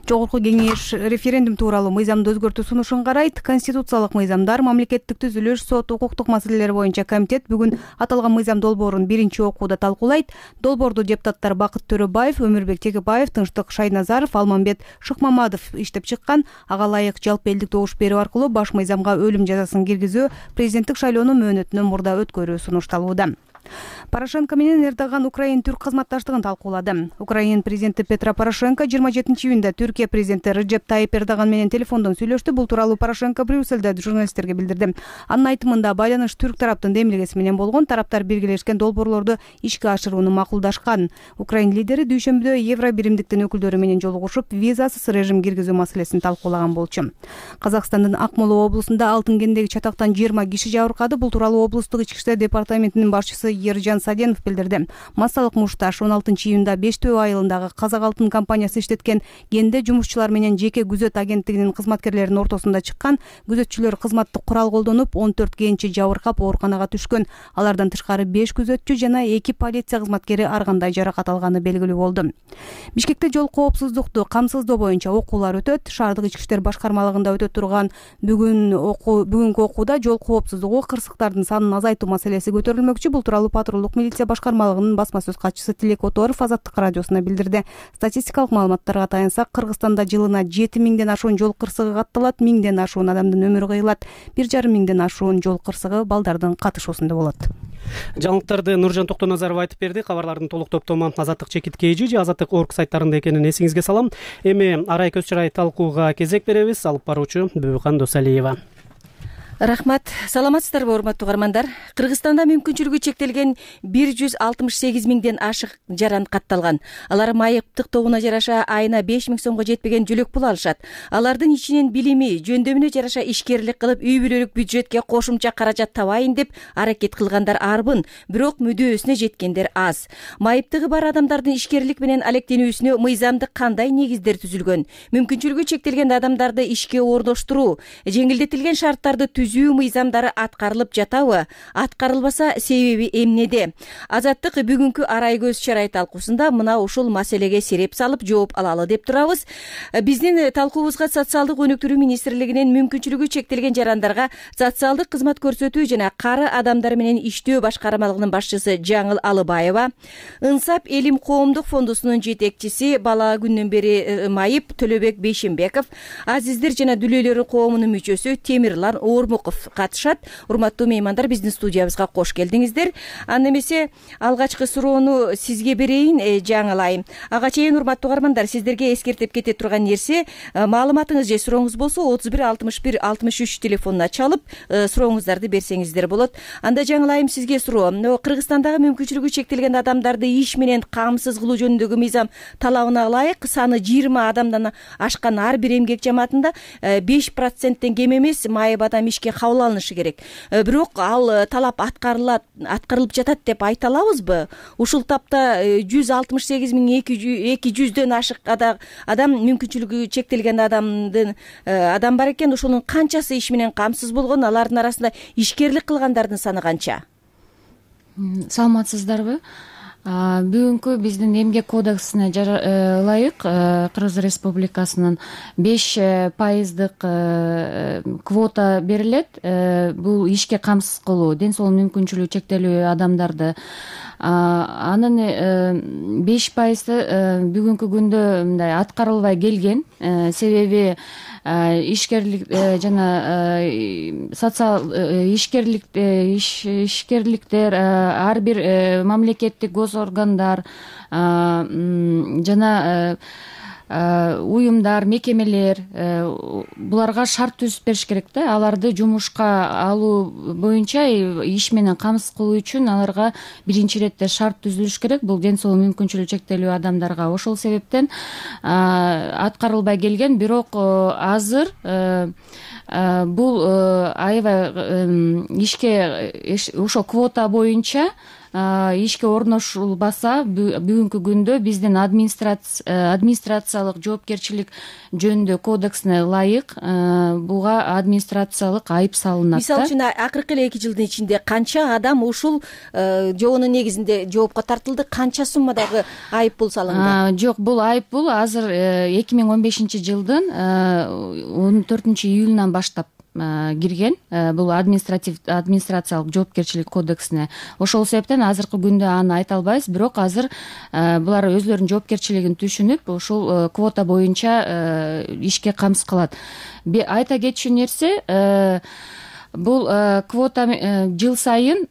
Жогорку кеңеш референдум тууралуу мыйзамды өзгөртүү сунушун карайт. Конституциялык мыйзамдар, мамлекеттик түзүлүш, сот, укуктук маселелер боюнча комитет бүгүн аталган мыйзам долбоорун биринчи окууда талкуулайт. Долбоорду депутаттар Бакыт Төрөбаев, Өмүрбек Текебаев, Тынчтык Шайназаров, Алмамбет Шыкмамадов иштеп чыккан. Ага ылайык жалпы элдик добуш берүү аркылуу баш мыйзамга өлүм жазасын киргизүү, президенттик шайлоону мөөнөтүнөн мурда өткөрүү сунушталууда. Порошенко менен Эрдоган Украин түрк кызматташтыгын талкуулады. Украин президенти Петро Порошенко жыйырма жетинчи июнда Түркия президенти Реджеп Тайип Эрдоган менен телефондон сүйлөштү. Бул тууралуу Порошенко Брюссельде журналисттерге билдирди. Анын айтымында байланыш түрк тараптын демилгеси менен болгон, тараптар биргелешкен долбоорлорду ишке ашырууну макулдашкан. Украин лидери дүйшөмбүдө Евро биримдиктин өкүлдөрү менен жолугушуп, визасыз режим киргизүү маселесин талкуулаган болчу. Казакстандын Акмола облусунда алтын кендеги чатактан жыйырма киши жабыркады. Бул тууралуу облустук ички иштер департаментинин башчысы Ержан Саденов билдирди. Массалык мушташ он алтынчы июнда Бештөө айылындагы Казак алтын компаниясы иштеткен кенде жумушчулар менен жеке күзөт агенттигинин кызматкерлеринин ортосунда чыккан. Күзөтчүлөр кызматтык курал колдонуп, он төрт кенчи жабыркап ооруканага түшкөн. Алардан тышкары беш күзөтчү жана эки полиция кызматкери ар кандай жаракат алганы белгилүү болду. Бишкекте жол коопсуздукту камсыздоо боюнча окуулар өтөт. Шаардык ички иштер башкармалыгында өтө турган бүгүн окуу бүгүнкү окууда жол коопсуздугу, кырсыктардын санын азайтуу маселеси көтөрүлмөкчү. Бул тууралуу патрулдук милиция башкармалыгынын басма сөз катчысы Тилек Оторов Азаттык радиосуна билдирди. Статистикалык маалыматтарга таянсак, Кыргызстанда жылына жети миңден ашуун жол кырсыгы катталат, миңден ашуун адамдын өмүрү кыйылат, бир жарым миңден ашуун жол кырсыгы балдардын катышуусунда болот. Жаңылыктарды Нуржан Токтоназаров айтып берди. Кабарлардын толук топтому Азаттык чекит кейжи же Азаттык орг сайттарында экенин эсиңизге салам. Эми арай көз чарай талкууга кезек беребиз. Алып баруучу Бүбүкан Досалиева. Рахмат. Саламатсыздарбы, урматтуу угармандар? Кыргызстанда мүмкүнчүлүгү чектелген бир жүз алтымыш сегиз миңден ашык жаран катталган. Алар майыптык тобуна жараша айына беш миң сомго жетпеген жөлөк пул алышат. Алардын ичинен билими, жөндөмүнө жараша ишкерлик кылып, үй бүлөлүк бюджетке кошумча каражат табайын деп аракет кылгандар арбын, бирок мүдөөсүнө жеткендер аз. Майыптыгы бар адамдардын ишкерлик менен алектенүүсүнө мыйзамдык кандай негиздер түзүлгөн? Мүмкүнчүлүгү чектелген адамдарды ишке орноштуруу, жеңилдетилген шарттарды түзүү түзүү мыйзамдары аткарылып жатабы, аткарылбаса себеби эмнеде? Азаттык бүгүнкү арай көз чарай талкуусунда мына ушул маселеге сереп салып жооп алалы деп турабыз. Биздин талкуубузга социалдык өнүктүрүү министрлигинин мүмкүнчүлүгү чектелген жарандарга социалдык кызмат көрсөтүү жана кары адамдар менен иштөө башкармалыгынын башчысы Жаңыл Алыбаева, Ынсап Элим коомдук фондусунун жетекчиси бала күндөн бери майып Төлөбек Бейшембеков, Азиздер жана дүлөйлөрү коомунун мүчөсү Темирлан Ормуков катышат. Урматтуу меймандар, биздин студиябызга кош келдиңиздер. Анда эмесе алгачкы суроону сизге берейин, Жаңыл айым. Ага чейин урматтуу угармандар, сиздерге эскертип кете турган нерсе, маалыматыңыз же сурооңуз болсо отуз бир алтымыш бир алтымыш үч телефонуна чалып сурооңуздарды берсеңиздер болот. Анда Жаңыл айым, сизге суроо. Кыргызстандагы мүмкүнчүлүгү чектелген адамдарды иш менен камсыз кылуу жөнүндөгү мыйзам талабына ылайык саны жыйырма адамдан ашкан ар бир эмгек жамаатында беш проценттен кем эмес майып адам ишке кабыл алынышы керек. Бирок ал талап аткарылат, аткарылып жатат деп айта алабызбы? Ушул тапта жүз алтымыш сегиз миң эки жүздөн ашык адам, мүмкүнчүлүгү чектелген адамдын адам бар экен. Ошонун канчасы иш менен камсыз болгон? Алардын арасында ишкерлик кылгандардын саны канча? Саламатсыздарбы? Бүгүнкү биздин эмгек кодексине ылайык Кыргыз Республикасынын беш пайыздык квота берилет. Бул ишке камсыз кылуу, ден соолук мүмкүнчүлүгү чектелүү адамдарды. Анын беш пайызы бүгүнкү күндө мындай аткарылбай келген. Себеби ишкерлик жана социал ишкерлик ишкерликтер ар бир мамлекеттик гос органдар жана уюмдар, мекемелер буларга шарт түзүп бериш керек да. Аларды жумушка алуу боюнча иш менен камсыз кылуу үчүн аларга биринчи иретте шарт түзүлүш керек. Бул ден соолук мүмкүнчүлүгү чектелүү адамдарга. Ошол себептен аткарылбай келген. Бирок азыр бул аябай ишке ошо квота боюнча ишке орношулбаса, бүгүнкү күндө биздин администрациялык жоопкерчилик жөнүндө кодексине ылайык буга администрациялык айып салынат. Мисалы үчүн акыркы эле эки жылдын ичинде канча адам ушул жоонун негизинде жоопко тартылды, канча суммадагы айып пул салынды? Жок, бул айып пул азыр эки миң он бешинчи жылдын он төртүнчү июлунан баштап кирген. Бул административ администрациялык жоопкерчилик кодексине. Ошол себептен азыркы күндө аны айта албайбыз. Бирок азыр булар өзлөрүнүн жоопкерчилигин түшүнүп, ушул квота боюнча ишке камсыз кылат. Айта кетчү нерсе, бул квота жыл сайын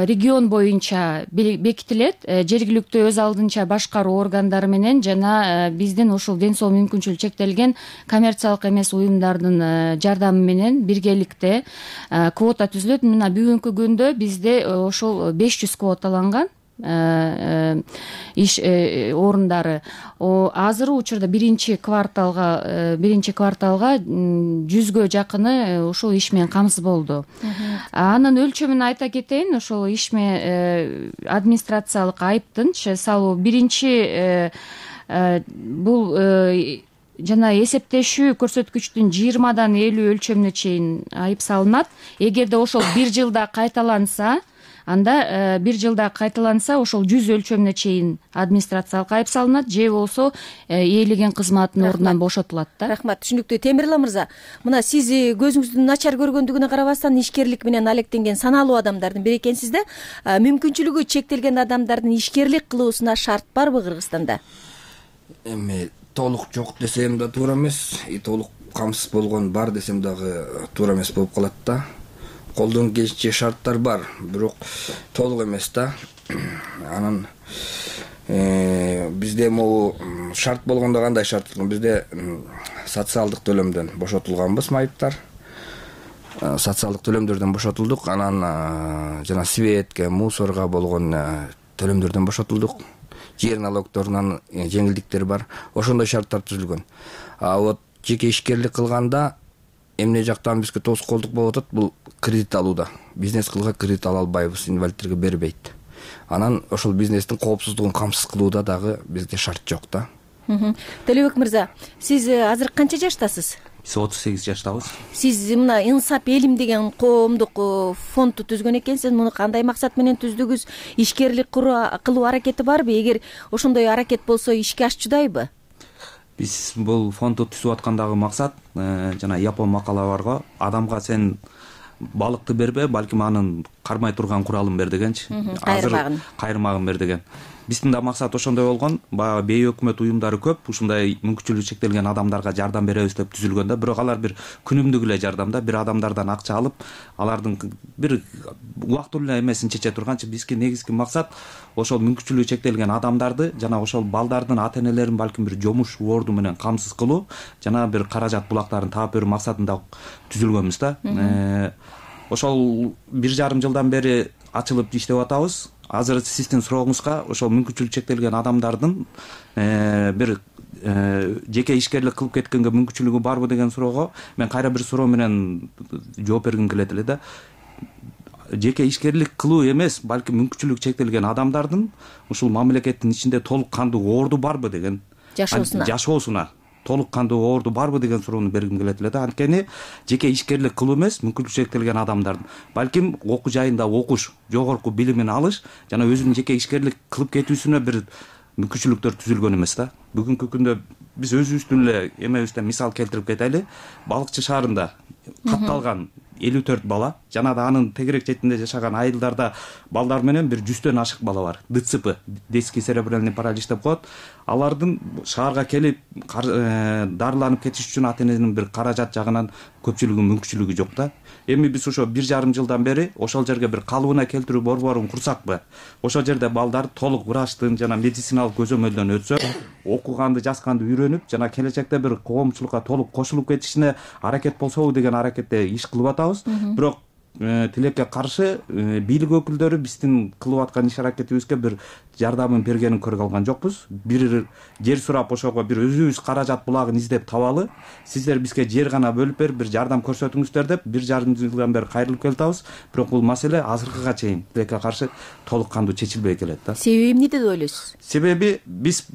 регион боюнча бекитилет. Жергиликтүү өз алдынча башкаруу органдары менен жана биздин ушул ден соолук мүмкүнчүлүгү чектелген коммерциялык эмес уюмдардын жардамы менен биргеликте квота түзүлөт. Мына бүгүнкү күндө бизде ошол беш жүз квоталанган иш орундары. Азыркы учурда биринчи кварталга биринчи кварталга жүзгө жакыны ушул иш менен камсыз болду. Анын өлчөмүн айта кетейин. Ошол иш менен администрациялык айыптын салуу биринчи бул жана эсептешүү көрсөткүчтүн жыйырмадан элүү өлчөмүнө чейин айып салынат. Эгерде ошол бир жылда кайталанса, анда бир жылда кайталанса ошол жүз өлчөмүнө чейин администрациялык айып салынат, же болсо ээлеген кызматтын ордунан бошотулат да. Рахмат, түшүнүктүү. Темирлан мырза, мына сиз көзүңүздүн начар көргөндүгүнө карабастан ишкерлик менен алектенген саналуу адамдардын бири экенсиз да. Мүмкүнчүлүгү чектелген адамдардын ишкерлик кылуусуна шарт барбы Кыргызстанда? Эми толук жок десем да туура эмес, толук камсыз болгон бар десем дагы туура эмес болуп калат да. Колдон келишинче шарттар бар, бирок толук эмес да. Анан бизде могу шарт болгондо кандай шарт? Бизде социалдык төлөмдөн бошотулганбыз майыптар. Социалдык төлөмдөрдөн бошотулдук, анан жана светке, мусорго болгон төлөмдөрдөн бошотулдук. Жер налогторунан жеңилдиктер бар. Ошондой шарттар түзүлгөн. А вот жеке ишкерлик кылганда эмне жактан бизге тоскоолдук болуп атат, бул кредит алууда. Бизнес кылууга кредит ала албайбыз, инвалидтерге бербейт. Анан ошол бизнестин коопсуздугун камсыз кылууда дагы бизде шарт жок да. Төлөбек мырза, сиз азыр канча жаштасыз? биз отуз сегиз жаштабыз. Сиз мына Инсап элим деген коомдук фондду түзгөн экенсиз. Муну кандай максат менен түздүгүз? Ишкерлик кылуу аракети барбы? Эгер ошондой аракет болсо ишке ашчудайбы? Биз бул фондду түзүп аткандагы максат жана япон макала барго, адамга сен балыкты бербе, балким анын кармай турган куралын бер дегенчи. Кайырмагын. Кайырмагын бер деген. Биздин да максат ошондой болгон. Баягы бейөкмөт уюмдары көп, ушундай мүмкүнчүлүгү чектелген адамдарга жардам беребиз деп түзүлгөн да. Бирок алар бир күнүмдүк эле жардам да. Бир адамдардан акча алып, алардын бир убактылуу эле эмесин чече турганчы бизге негизги максат ошол мүмкүнчүлүгү чектелген адамдарды жана ошол балдардын ата-энелерин балким бир жомуш орду менен камсыз кылуу жана бир каражат булактарын таап берүү максатында түзүлгөнбүз да. Ошол бир жарым жылдан бери ачылып иштеп атабыз. Азыр сиздин сурооңузга ошол мүмкүнчүлүгү чектелген адамдардын бир жеке ишкерлик кылып кеткенге мүмкүнчүлүгү барбы деген суроого мен кайра бир суроо менен жооп бергим келет эле да. Жеке ишкерлик кылуу эмес, балким мүмкүнчүлүгү чектелген адамдардын ушул мамлекеттин ичинде толук кандуу орду барбы деген жашоосуна жашоосуна толук кандуу орду барбы деген суроону бергим келет эле да. Анткени жеке ишкерлик кылуу эмес, мүмкүнчүлүгү чектелген адамдардын балким окуу жайында окуш, жогорку билимин алыш жана өзүнүн жеке ишкерлик кылып кетүүсүнө бир мүмкүнчүлүктөр түзүлгөн эмес да. Бүгүнкү күндө биз өзүбүздүн эле эмебизден мисал келтирип кетели. Балыкчы шаарында катталган элүү төрт бала жана да анын тегерек четинде жашаган айылдарда балдар менен бир жүздөн ашык бала бар. ДЦП, детский церебральный паралич деп коет. Алардын шаарга келип дарыланып кетиш үчүн ата-эненин бир каражат жагынан көпчүлүгүнүн мүмкүнчүлүгү жок да. Эми биз ошо бир жарым жылдан бери ошол жерге бир калыбына келтирүү борборун курсакпы? Ошол жерде балдар толук врачтын жана медициналык көзөмөлдөн өтсө, окуганды, жазганды үйрөнүп жана келечекте бир коомчулукка толук кошулуп кетишине аракет болсобу деген аракетте иш кылып атабыз. Бирок тилекке каршы бийлик өкүлдөрү биздин кылып аткан иш аракетибизге бир жардамын бергенин көрө алган жокпуз. Бир жер сурап ошого бир өзүбүз каражат булагын издеп табалы, сиздер бизге жер гана бөлүп берип бир жардам көрсөтүңүздөр деп бир жарым жылдан бери кайрылып келип атабыз. Бирок бул маселе азыркыга чейин тилекке каршы толук кандуу чечилбей келет да. Себеби эмнеде деп ойлойсуз? Себеби биз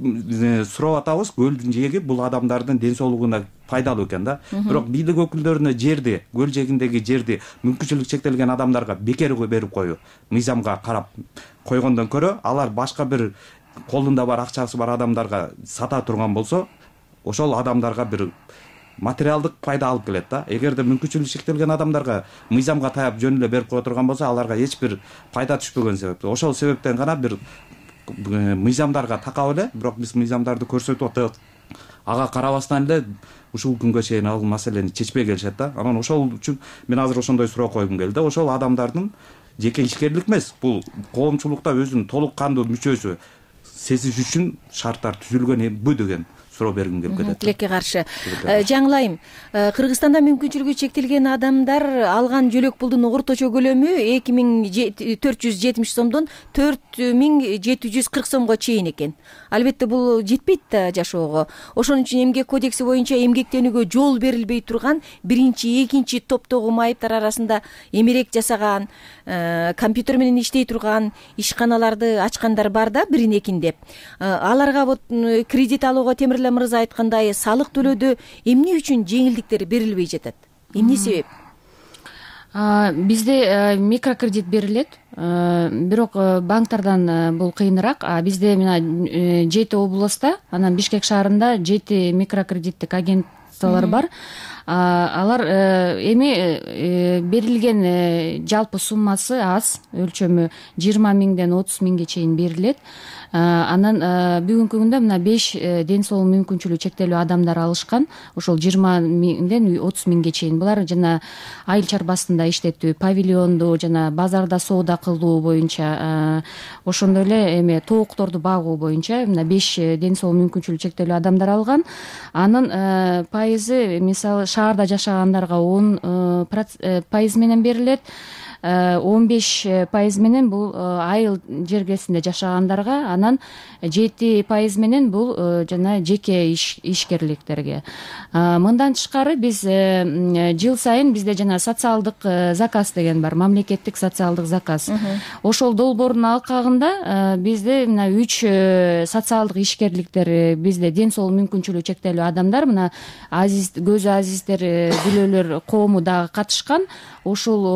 сурап атабыз, көлдүн жээги бул адамдардын ден соолугуна пайдалуу экен да. Бирок бийлик өкүлдөрүнө жерди, көл жээгиндеги жерди мүмкүнчүлүгү чектелген адамдарга бекер берип коюу, мыйзамга карап койгондон көрө, алар башка бир колунда бар акчасы бар адамдарга сата турган болсо, ошол адамдарга бир материалдык пайда алып келет да. Эгерде мүмкүнчүлүгү чектелген адамдарга мыйзамга таяп жөн эле берип кое турган болсо, аларга эч бир пайда түшпөгөн себептен. Ошол себептен гана бир мыйзамдарга такап эле, бирок биз мыйзамдарды көрсөтүп атабыз. Ага карабастан эле ушул күнгө чейин ал маселени чечпей келишет да. Анан ошол үчүн мен азыр ошондой суроо койгум келди. Ошол адамдардын жеке ишкерлик эмес, бул коомчулукта өзүнүн толук кандуу мүчөсү сезиш үчүн шарттар түзүлгөнбү деген суроо бергим келип кетет. Тилекке каршы. Жаңылайым, Кыргызстанда мүмкүнчүлүгү чектелген адамдар алган жөлөк пулдун орточо көлөмү эки миң төрт жүз жетимиш сомдон төрт миң жети жүз кырк сомго чейин экен. Албетте бул жетпейт да жашоого. Ошон үчүн эмгек кодекси боюнча эмгектенүүгө жол берилбей турган биринчи, экинчи топтогу майыптар арасында эмерек жасаган, компьютер менен иштей турган ишканаларды ачкандар бар да, бирин экин деп. Аларга вот кредит алууга Темирле мырза айткандай салык төлөөдө эмне үчүн жеңилдиктер берилбей жатат? Эмне себеп? Бизде микрокредит берилет, бирок банктардан бул кыйыныраак. Бизде мына жети областта, анан Бишкек шаарында жети микрокредиттик агентстволор бар. Алар эми берилген жалпы суммасы аз, өлчөмү жыйырма миңден отуз миңге чейин берилет. Анан бүгүнкү күндө мына беш ден соолук мүмкүнчүлүгү чектелүү адамдар алышкан. Ошол жыйырма миңден отуз миңге чейин. Булар жана айыл чарбасында иштетүү, павильонду жана базарда соода кылуу боюнча, ошондой эле эме тоокторду багуу боюнча мына беш ден соолук мүмкүнчүлүгү чектелүү адамдар алган. Анын пайызы мисалы шаарда жашагандарга он пайыз менен берилет. он беш пайыз менен бул айыл жергесинде жашагандарга, анан жети пайыз менен бул жана жеке ишкерликтерге. Мындан тышкары биз жыл сайын бизде жана социалдык заказ деген бар, мамлекеттик социалдык заказ. Ошол долбоордун алкагында бизде мына үч социалдык ишкерликтер, бизде ден соолук мүмкүнчүлүгү чектелүү адамдар, мына азиз, көзү азиздер, бүлөлөр коому дагы катышкан. Ошол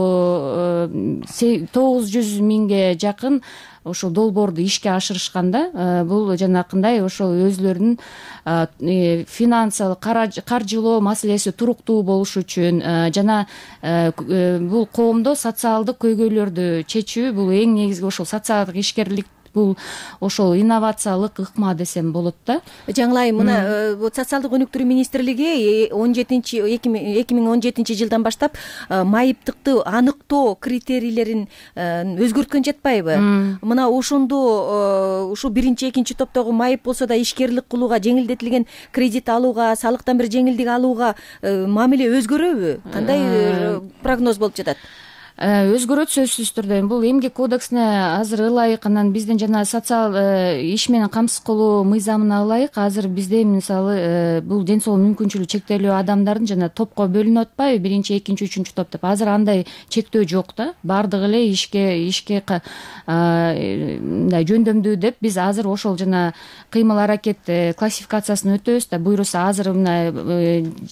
тогуз жүз миңге жакын ошол долбоорду ишке ашырышканда, бул жанакындай ошол өзүлөрүнүн финансылык каржылоо маселеси туруктуу болуш үчүн жана бул коомдо социалдык көйгөйлөрдү чечүү, бул эң негизги ошол социалдык ишкерлик, бул ошол инновациялык ыкма десем болот да. Жаңылайым, мына социалдык өнүктүрүү министрлиги он жетинчи эки миң он жетинчи жылдан баштап майыптыкты аныктоо критерийлерин өзгөрткөн жатпайбы? Мына ошондо ушул биринчи, экинчи топтогу майып болсо да ишкерлик кылууга, жеңилдетилген кредит алууга, салыктан бир жеңилдик алууга мамиле өзгөрөбү? Кандай прогноз болуп жатат? Өзгөрөт сөзсүз түрдө. Бул эмгек кодексине азыр ылайык, анан биздин жана социал иш менен камсыз кылуу мыйзамына ылайык азыр бизде мисалы бул ден соолук мүмкүнчүлүгү чектелүү адамдардын жана топко бөлүнүп атпайбы, биринчи, экинчи, үчүнчү топ деп. Азыр андай чектөө жок да. Бардыгы эле ишке ишке мындай жөндөмдүү деп биз азыр ошол жана кыймыл аракет классификациясын өтөбүз да. Буюрса азыр мына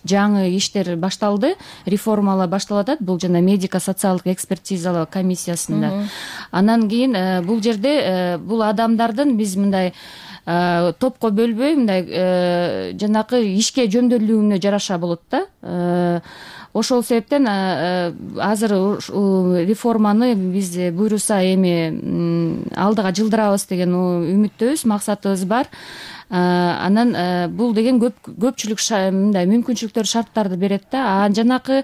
жаңы иштер башталды, реформалар башталып атат. Бул жана медико социалдык экспертизалоо комиссиясында. Анан кийин бул жерде бул адамдардын биз мындай топко бөлбөй, мындай жанакы ишке жөндөмдүүлүгүнө жараша болот да. Ошол себептен азыр реформаны биз буйруса эми алдыга жылдырабыз деген үмүттөбүз, максатыбыз бар. Анан бул деген көпчүлүк мындай мүмкүнчүлүктөр, шарттарды берет да. Жанакы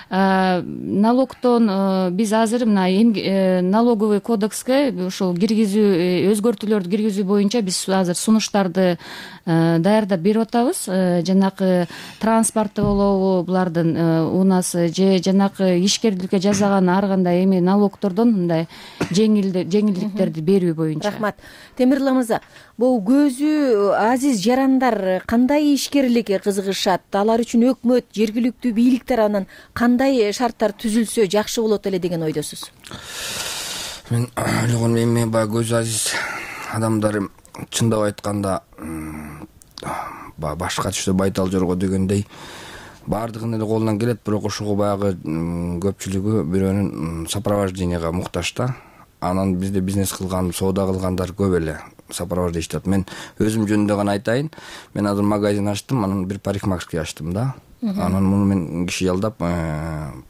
налогтон биз азыр мына налоговый кодекске ошол киргизүү, өзгөртүүлөрдү киргизүү боюнча биз азыр сунуштарды даярдап берип атабыз. Жанакы транспорты болобу, булардын унасы же жанакы ишкерликке жасаган ар кандай эми налогтордон мындай жеңилдиктерди берүү боюнча. Рахмат. Темирлан мырза, бул көзү азиз жарандар кандай ишкерликке кызыгышат? Алар үчүн өкмөт, жергиликтүү бийликтер анан кандай шарттар түзүлсө жакшы болот эле деген ойдосуз? Мен ойлогон эми баягы көзү азиз адамдар чындап айтканда башка түштө байтал жорго дегендей баардыгынын эле колунан келет, бирок ошого баягы көпчүлүгү бирөөнүн сопровожденияга муктаж да. Анан бизде бизнес кылган, соода кылгандар көп эле сопровождение атат. Мен өзүм жөнүндө гана айтайын. Мен азыр магазин ачтым, анан бир парикмахерский ачтым да. Анан муну мен киши жалдап,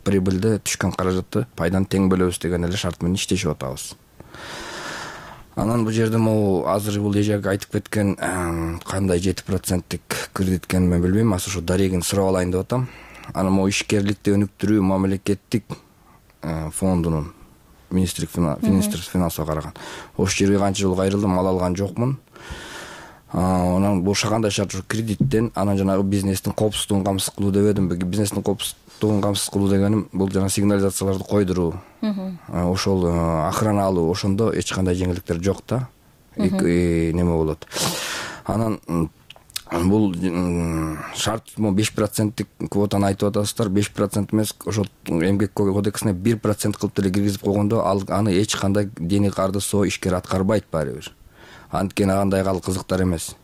прибыльди, түшкөн каражатты пайданы тең бөлөбүз деген эле шарт менен иштешип атабыз. Анан бул жерде могу азыр бул эжеге айтып кеткен кандай жети проценттик кредит экенин мен билбейм. Азыр ушу дарегин сурап алайын деп атам. Анан могу ишкерликти өнүктүрүү мамлекеттик фондунун министрлик министрлик финансыга караган. Ошол жерге канча жолу кайрылдым, мал алган жокмун. Анан бул кандай шарт, ушу кредиттен, анан жанагы бизнестин коопсуздугун камсыз кылуу дебедим. Бизнестин коопсуздугун камсыз кылуу дегеним бул жана сигнализацияларды койдуруу, ошол охрана алуу, ошондо эч кандай жеңилдиктер жок да. Неме болот. Анан бул шарт беш проценттик квотаны айтып атасыздар. беш процент эмес, ошол эмгек кодексине бир процент кылып деле киргизип койгондо аны эч кандай дений карды соо ишкер аткарбайт баары бир. Анткени андай ал кызыктар эмес.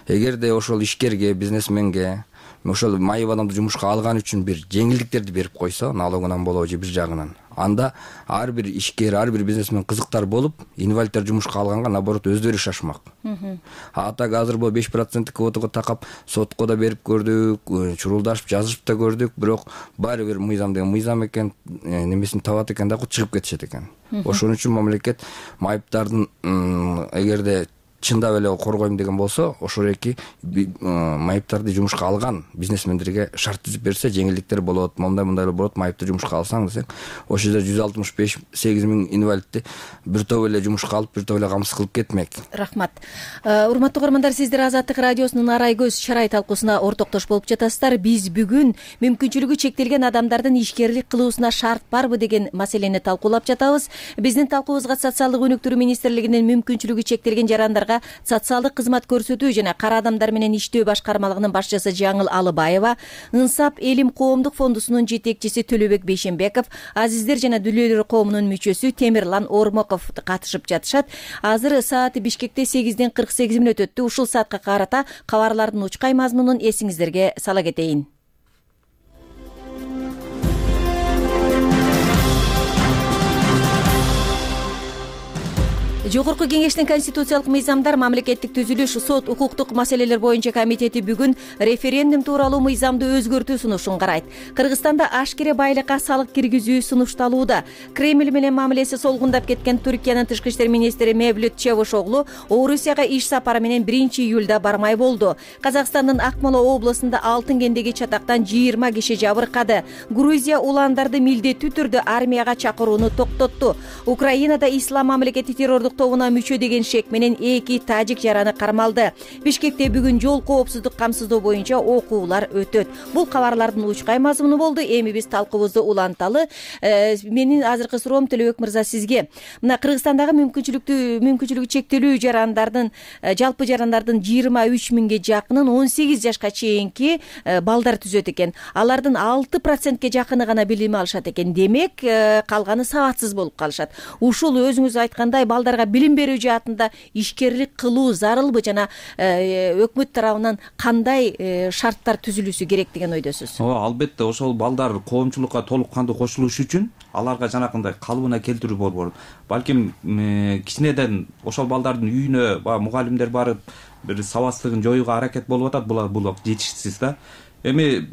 Эгерде ошол ишкерге, бизнесменге ошол майып адамды жумушка алган үчүн бир жеңилдиктерди берип койсо, налогунан болобу же бир жагынан, анда ар бир ишкер, ар бир бизнесмен кызыктар болуп, инвалидтер жумушка алганга наоборот өздөрү шашмак. А так азыр бул беш проценттик квотага такап сотко да берип көрдүк, чурулдашып, жазышып да көрдүк, бирок баары бир мыйзам деген мыйзам экен, немесин табат экен да, чыгып кетишет экен. Ошон үчүн мамлекет майыптардын эгерде чындап эле коргойм деген болсо ошол эки майыптарды жумушка алган бизнесмендерге шарт түзүп берсе жеңилдиктер болот, мондай мындай болот, майыпты жумушка алсаң десең ошол жерде жүз алтымыш беш сегиз миң инвалидти бир топ эле жумушка алып бир топ эле камсыз кылып кетмек. Рахмат. Урматтуу угармандар, сиздер Азаттык радиосунун арай көз чарай талкуусуна ортоктош болуп жатасыздар. Биз бүгүн мүмкүнчүлүгү чектелген адамдардын ишкерлик кылуусуна шарт барбы деген маселени талкуулап жатабыз. Биздин талкуубузга социалдык өнүктүрүү министрлигинин мүмкүнчүлүгү чектелген жарандарга социалдык кызмат көрсөтүү жана кара адамдар менен иштөө башкармалыгынын башчысы Жаңыл Алыбаева, Инсап Элим коомдук фондусунун жетекчиси Төлөбек Бейшенбеков, Азиздер жана Дүлөйлөр коомунун мүчөсү Темирлан Ормоков катышып жатышат. Азыр сааты Бишкекте сегизден кырк сегиз мүнөт өттү. Ушул саатка карата кабарлардын учкай мазмунун эсиңиздерге сала кетейин. Жогорку кеңештин конституциялык мыйзамдар, мамлекеттик түзүлүш, сот, укуктук маселелер боюнча комитети бүгүн референдум тууралуу мыйзамды өзгөртүү сунушун карайт. Кыргызстанда ашкере байлыкка салык киргизүү сунушталууда. Кремль менен мамилеси солгундап кеткен Түркиянын тышкы иштер министри Мевлют Чавушоглу Орусияга иш сапары менен биринчи июлда бармай болду. Казакстандын Акмола областында Алтын кендеги чатактан жыйырма киши жабыркады. Грузия уландарды милдеттүү түрдө армияга чакырууну токтотту. Украинада ислам мамлекети террордук тобуна мүчө деген шек менен эки тажик жараны кармалды. Бишкекте бүгүн жол коопсуздук камсыздоо боюнча окуулар өтөт. Бул кабарлардын учкай мазмуну болду. Эми биз талкуубузду уланталы. Менин азыркы суроом Төлөбек мырза сизге. Мына Кыргызстандагы мүмкүнчүлүктүү мүмкүнчүлүгү чектелүү жарандардын жалпы жарандардын жыйырма үч миңге жакынын он сегиз жашка чейинки балдар түзөт экен. Алардын алты процентке жакыны гана билим алышат экен. Демек, калганы сабатсыз болуп калышат. Ушул өзүңүз айткандай балдарга билим берүү жаатында ишкерлик кылуу зарылбы жана өкмөт тарабынан кандай шарттар түзүлүшү керек деген ойдосуз? Ооба, албетте ошол балдар коомчулукка толук кандуу кошулуш үчүн аларга жанакындай калыбына келтирүү борбору. Балким кичинеден ошол балдардын үйүнө баягы мугалимдер барып бир сабатсыздыгын жоюуга аракет болуп атат. Бул бул жетишсиз да. Эми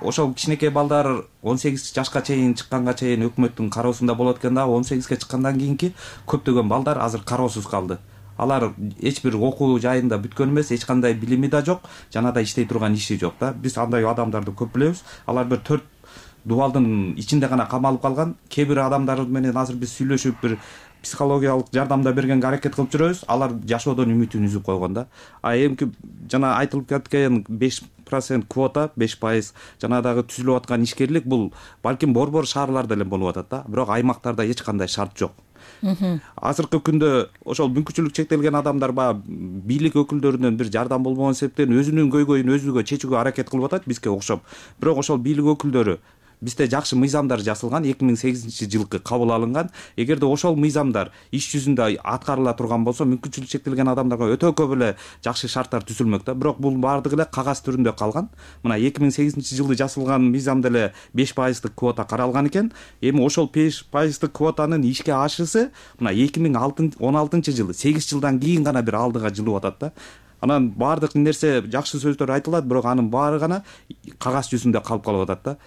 ошол кичинекей балдар он сегиз жашка чейин чыкканга чейин өкмөттүн кароосунда болот экен да. он сегизге чыккандан кийинки көптөгөн балдар азыр кароосуз калды. Алар эч бир окуу жайында бүткөн эмес, эч кандай билими да жок, жана да иштей турган иши жок да. Биз андай адамдарды көп билебиз. Алар бир төрт дубалдын ичинде гана камалып калган. Кээ бир адамдар менен азыр биз сүйлөшүп бир психологиялык жардам да бергенге аракет кылып жүрөбүз. Алар жашоодон үмүтүн үзүп койгон да. А эмки жана айтылып кеткен беш процент квота, беш пайыз жана дагы түзүлүп аткан ишкерлик бул балким борбор шаарларда эле болуп атат да. Бирок аймактарда эч кандай шарт жок. Азыркы күндө ошол мүмкүнчүлүк чектелген адамдар баягы бийлик өкүлдөрүнөн бир жардам болбогон себептен өзүнүн көйгөйүн өзүгө чечүүгө аракет кылып атат бизге окшоп. Бирок ошол бийлик өкүлдөрү бизде жакшы мыйзамдар жасалган, эки миң сегизинчи жылкы кабыл алынган. Эгерде ошол мыйзамдар иш жүзүндө аткарыла турган болсо, мүмкүнчүлүк чектелген адамдарга өтө көп эле жакшы шарттар түзүлмөк да. Бирок бул баардыгы эле кагаз түрүндө калган. Мына эки миң сегизинчи жылы жасалган мыйзамда эле беш пайыздык квота каралган экен. Эми ошол беш пайыздык квотанын ишке ашышы мына эки миң он алтынчы жылы сегиз жылдан кийин гана бир алдыга жылып атат да. Анан баардык нерсе жакшы сөздөр айтылат, бирок анын баары гана кагаз жүзүндө калып калып атат да.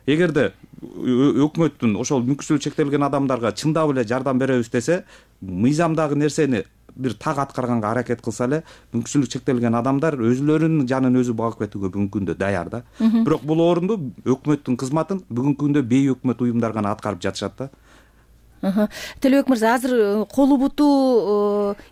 Эгерде өкмөттүн ошол мүмкүнчүлүгү чектелген адамдарга чындап эле жардам беребиз десе, мыйзамдагы нерсени бир так аткарганга аракет кылса эле, мүмкүнчүлүгү чектелген адамдар өзүлөрүнүн жанын өзү багып кетүүгө бүгүнкү күндө даяр да. Бирок бул орунду өкмөттүн кызматын бүгүнкү күндө бейөкмөт уюмдар гана аткарып жатышат да. Төлөбек мырза, азыр колу буту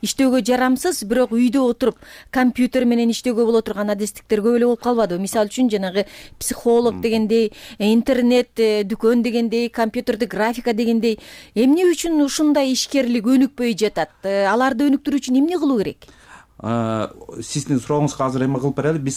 иштөөгө жарамсыз, бирок үйдө отуруп компьютер менен иштөөгө боло турган адестиктер көп эле болуп калбадыбы? Мисалы үчүн жанагы психолог дегендей, интернет дүкөн дегендей, компьютерди графика дегендей, эмне үчүн ушундай ишкерлик өнүкпөй жатат? Аларды өнүктүрүү үчүн эмне кылуу керек? Сиздин сурооңузга азыр эме кылып берели. Биз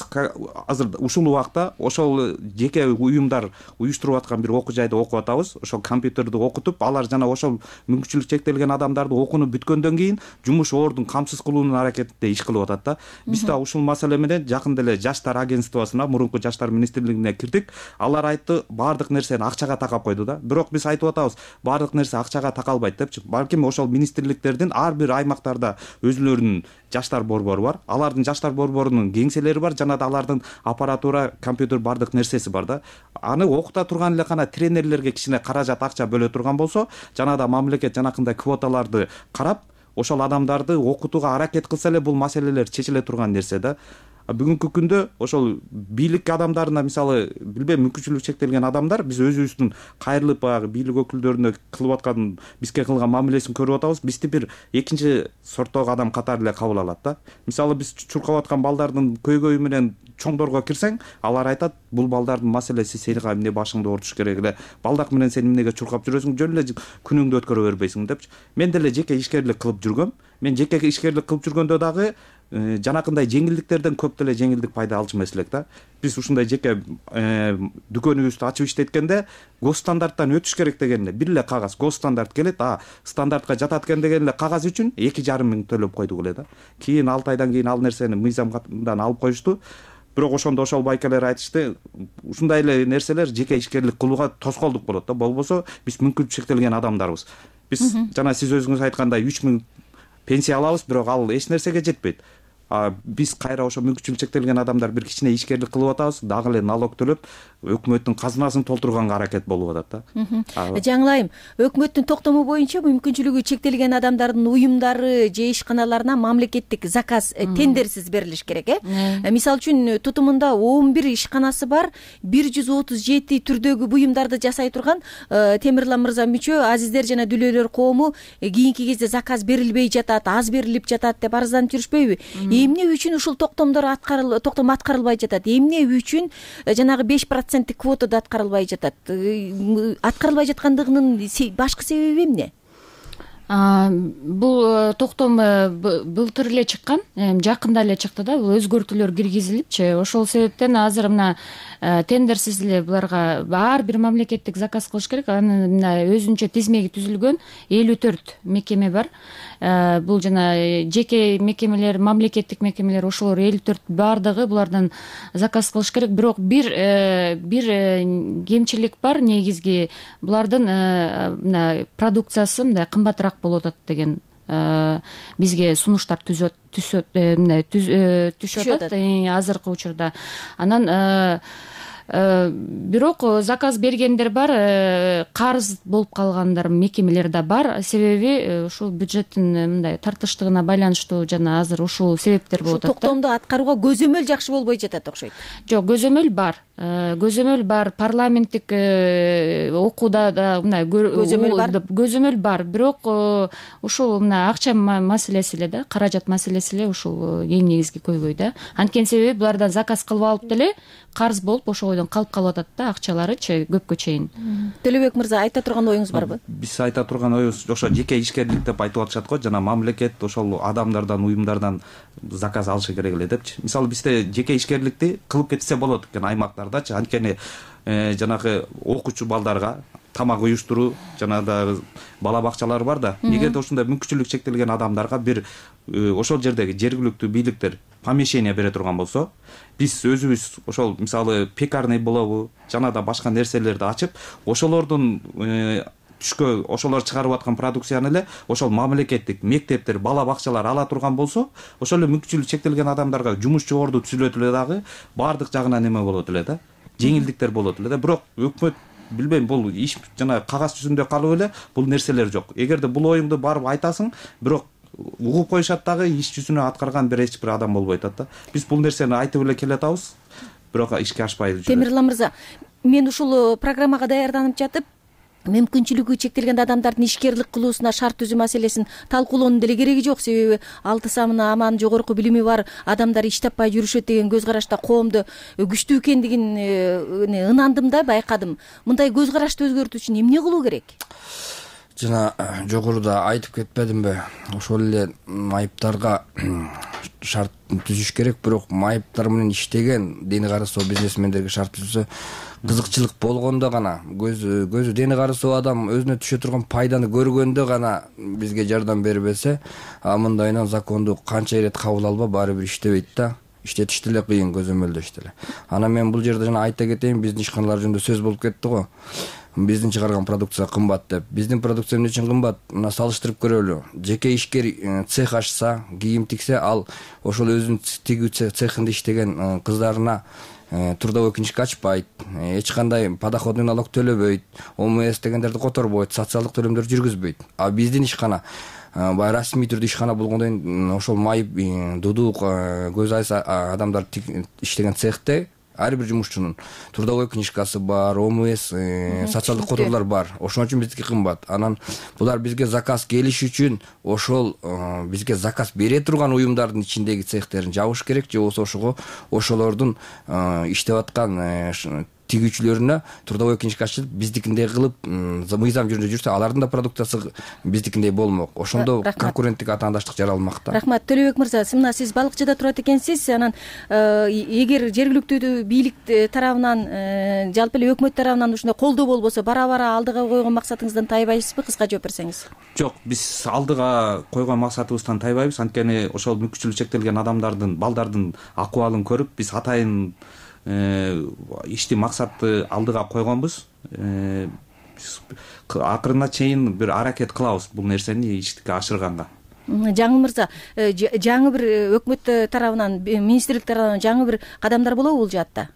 азыр ушул убакта ошол жеке уюмдар уюштуруп аткан бир окуу жайда окуп атабыз. Ошол компьютерди окутуп, алар жана ошол мүмкүнчүлүк чектелген адамдарды окууну бүткөндөн кийин жумуш ордун камсыз кылуунун аракетинде иш кылып атат да. Биз да ушул маселе менен жакында эле жаштар агентствосуна, мурунку жаштар министрлигине кирдик. Алар айтты, баардык нерсени акчага такап койду да. Бирок биз айтып атабыз, баардык нерсе акчага такалбайт депчи. Балким ошол министрликтердин ар бир аймактарда өзүлөрүнүн жаштар борбору бар. Алардын жаштар борборунун кеңселери бар, жана да алардын аппаратура, компьютер бардык нерсеси бар да. Аны окута турган эле гана тренерлерге кичине каражат акча бөлө турган болсо, жана да мамлекет жанакындай квоталарды карап, ошол адамдарды окутууга аракет кылса эле бул маселелер чечиле турган нерсе да. Бүгүнкү күндө ошол бийлик адамдарына, мисалы, билбейм, мүмкүнчүлүгү чектелген адамдар биз өзүбүздүн кайрылып баягы бийлик өкүлдөрүнө кылып аткан, бизге кылган мамилесин көрүп атабыз. Бизди бир экинчи сорттогу адам катары эле кабыл алат да. Мисалы, биз чуркап аткан балдардын көйгөйү менен чоңдорго кирсең, алар айтат, бул балдардын маселеси, сени эмне башыңды ортуш керек эле, балдак менен сен эмнеге чуркап жүрөсүң, жөн эле күнүңдү өткөрө бербейсиң депчи. Мен деле жеке ишкерлик кылып жүргөм. Мен жеке ишкерлик кылып жүргөндө дагы жанакындай жеңилдиктерден көп деле жеңилдик пайда алчу эмес элек да. Биз ушундай жеке дүкөнүбүздү ачып иштеткенде госстандарттан өтүш керек деген эле бир эле кагаз госстандарт келет, а стандартка жатат экен деген эле кагаз үчүн эки жарым миң төлөп койдук эле да. Кийин алты айдан кийин ал нерсени мыйзамдан алып коюшту. Бирок ошондо ошол байкелер айтышты, ушундай эле нерселер жеке ишкерлик кылууга тоскоолдук болот да. Болбосо биз мүмкүнчүлүгү чектелген адамдарбыз. Биз жана сиз өзүңүз айткандай үч миң пенсия алабыз, бирок ал эч нерсеге жетпейт. Биз кайра ошо мүмкүнчүлүгү чектелген адамдар бир кичине ишкерлик кылып атабыз, дагы эле налог төлөп, өкмөттүн казынасын толтурганга аракет болуп атат да. Жаңылайым, өкмөттүн токтому боюнча мүмкүнчүлүгү чектелген адамдардын уюмдары же ишканаларына мамлекеттик заказ тендерсиз берилиш керек, э? Мисалы үчүн тутумунда он бир ишканасы бар, бир жүз отуз жети түрдөгү буюмдарды жасай турган Темирлан мырза мүчө азиздер жана дүлөөлөр коому кийинки кезде заказ берилбей жатат, аз берилип жатат деп арызданып жүрүшпөйбү? Эмне үчүн ушул токтомдор аткарыл токтом аткарылбай жатат? Эмне үчүн жанагы беш проценттик квотада аткарылбай жатат? Аткарылбай жаткандыгынын башкы себеби эмне? Бул токтом былтыр эле чыккан, жакында эле чыкты да, бул өзгөртүүлөр киргизилипчи. Ошол себептен азыр мына тендерсиз эле буларга ар бир мамлекеттик заказ кылыш керек. Анын мына өзүнчө тизмеги түзүлгөн элүү төрт мекеме бар. Бул жана жеке мекемелер, мамлекеттик мекемелер, ошолор элүү төрт бардыгы булардан заказ кылыш керек. Бирок бир бир кемчилик бар, негизги булардын мына продукциясы мындай кымбатыраак болуп атат деген бизге сунуштар түзөт түшөт түшүп атат азыркы учурда. Анан бирок заказ бергендер бар, карыз болуп калгандар мекемелер да бар. Себеби ушул бюджеттин мындай тартыштыгына байланыштуу жана азыр ушул себептер болуп атат. Токтомду аткарууга көзөмөл жакшы болбой жатат окшойт. Жок, көзөмөл бар. Көзөмөл бар, парламенттик окууда да мындай көзөмөл бар. Көзөмөл бар, бирок ушул мына акча маселеси эле да, каражат маселеси эле ушул эң негизги көйгөй да. Анткени себеби булардан заказ кылып алып деле карыз болуп ошол бойдон калып калып атат да, акчаларычы көпкө чейин. Төлөбек мырза, айта турган оюңуз барбы? Биз айта турган оюбуз ошо жеке ишкерлик деп айтып атышат го, жана мамлекет ошол адамдардан, уюмдардан заказ алышы керек эле депчи. Мисалы бизде жеке ишкерликти кылып кетсе болот экен аймактардачы. Анткени жанагы окуучу балдарга тамак уюштуруу жана дагы бала бакчалар бар да. Эгерде ошондой мүмкүнчүлүгү чектелген адамдарга бир ошол жердеги жергиликтүү бийликтер помещение бере турган болсо, биз өзүбүз ошол мисалы пекарный болобу жана да башка нерселерди ачып, ошолордун түшкө ошолор чыгарып аткан продукцияны эле ошол мамлекеттик мектептер, бала бакчалар ала турган болсо, ошол эле мүмкүнчүлүгү чектелген адамдарга жумуш жогорду түзүлөт эле дагы, баардык жагынан эме болот эле да, жеңилдиктер болот эле да. Бирок өкмөт билбейм, бул иш жана кагаз жүзүндө калып эле бул нерселер жок. Эгерде бул оюңду барып айтасың, бирок угуп коюшат дагы, иш жүзүнө аткарган бир эч бир адам болбой атат да. Биз бул нерсени айтып эле келатабыз, бирок ишке ашпай жүрөт. Темирлан мырза, мен ушул программага даярданып жатып, мүмкүнчүлүгү чектелген адамдардын ишкерлик кылуусуна шарт түзүү маселесин талкуулоонун деле кереги жок. Себеби алты самына аман жогорку билими бар адамдар иш таппай жүрүшөт деген көз карашта коомдо күчтүү экендигин ынандым да, байкадым. Мындай көз карашты өзгөртүү үчүн эмне кылуу керек? Жана жогоруда айтып кетпедимби, ошол эле майыптарга шарт түзүш керек, бирок майыптар менен иштеген дени карасоо бизнесмендерге шарт түзсө, кызыкчылык болгондо гана, көзү көзү дени карасоо адам өзүнө түшө турган пайданы көргөндө гана бизге жардам бербесе, мындайынан законду канча ирет кабыл алба, баары бир иштебейт да. Иштетиш деле кыйын, көзөмөлдөш деле. Анан мен бул жерде жана айта кетейин, биздин ишканалар жөнүндө сөз болуп кетти го. Биздин чыгарган продукция кымбат деп. Биздин продукция эмне үчүн кымбат? Мына салыштырып көрөлү. Жеке ишкер цех ачса, кийим тиксе, ал ошол өзүнүн тигүү цехинде иштеген кыздарына трудовой книжка ачпайт, эч кандай подоходный налог төлөбөйт, ОМС дегендерди которбойт, социалдык төлөмдөрдү жүргүзбөйт. А биздин ишкана баягы расмий түрдө ишкана болгондон кийин ошол майып, дудук, көз айса адамдар иштеген цехте ар бир жумушчунун трудовой книжкасы бар, ОМС, социалдык которуулар бар. Ошон үчүн биздики кымбат. Анан булар бизге заказ келиш үчүн ошол бизге заказ бере турган уюмдардын ичиндеги цехтерин жабыш керек, же болбосо ошого ошолордун иштеп аткан тигүүчүлөрүнө трудовой книжка ачылып, биздикиндей кылып мыйзам жүзүндө жүрсө, алардын да продукциясы биздикиндей болмок. Ошондо конкуренттик атаандаштык жаралмак да. Рахмат. Төлөбек мырза, сиз мына сиз балыкчыда турат экенсиз. Анан эгер жергиликтүү бийлик тарабынан, жалпы эле өкмөт тарабынан ушундай колдоо болбосо, бара-бара алдыга койгон максатыңыздан тайбайсызбы? Кыска жооп берсеңиз. Жок, биз алдыга койгон максатыбыздан тайбайбыз. Анткени ошол мүмкүнчүлүгү чектелген адамдардын, балдардын акыбалын көрүп, биз атайын ишти максатты алдыга койгонбуз. Акырына чейин бир аракет кылабыз бул нерсени иштикке ашырганга. Жаңы мырза, жаңы бир өкмөт тарабынан, министрлик тарабынан жаңы бир кадамдар болобу бул жаатта?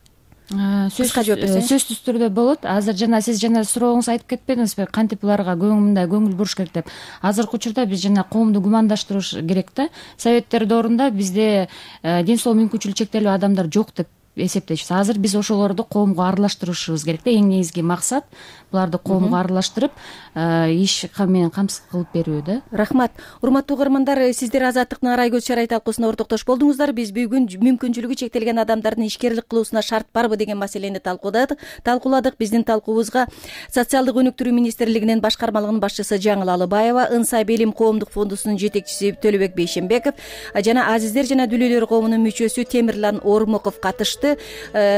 Сөзсүз түрдө болот. Азыр жана сиз жана сурооңузду айтып кетпедиңизби, кантип буларга мындай көңүл буруш керек деп. Азыркы учурда биз жана коомду гумандаштырыш керек да. Советтер доорунда бизде ден соолук мүмкүнчүлүгү чектелүү адамдар жок деп эсептейбиз. Азыр биз ошолорду коомго аралаштырышыбыз керек да. Эң негизги максат буларды коомго аралаштырып, иш менен камсыз кылып берүү да. Рахмат. Урматтуу угармандар, сиздер Азаттыктын Арай көз чарай талкуусуна ортоктош болдуңуздар. Биз бүгүн мүмкүнчүлүгү чектелген адамдардын ишкерлик кылуусуна шарт барбы деген маселени талкууладык. Талкууладык. Биздин талкуубузга Социалдык өнүктүрүү министрлигинин башкармалыгынын башчысы Жаңыл Алыбаева, Ынсай Белим коомдук фондусунун жетекчиси Төлөбек Бейшембеков жана Азиздер жана Дүлөйлөр коомунун мүчөсү Темирлан Ормоков катышты.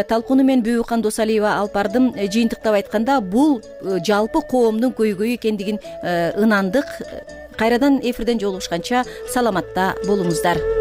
Талкууну мен Бүбүкан Досалиева алып бардым. Жыйынтыктап айтканда, бул жалпы коомдун көйгөйү экендигин ынандык. Кайрадан эфирден жолугушканча саламатта болуңуздар.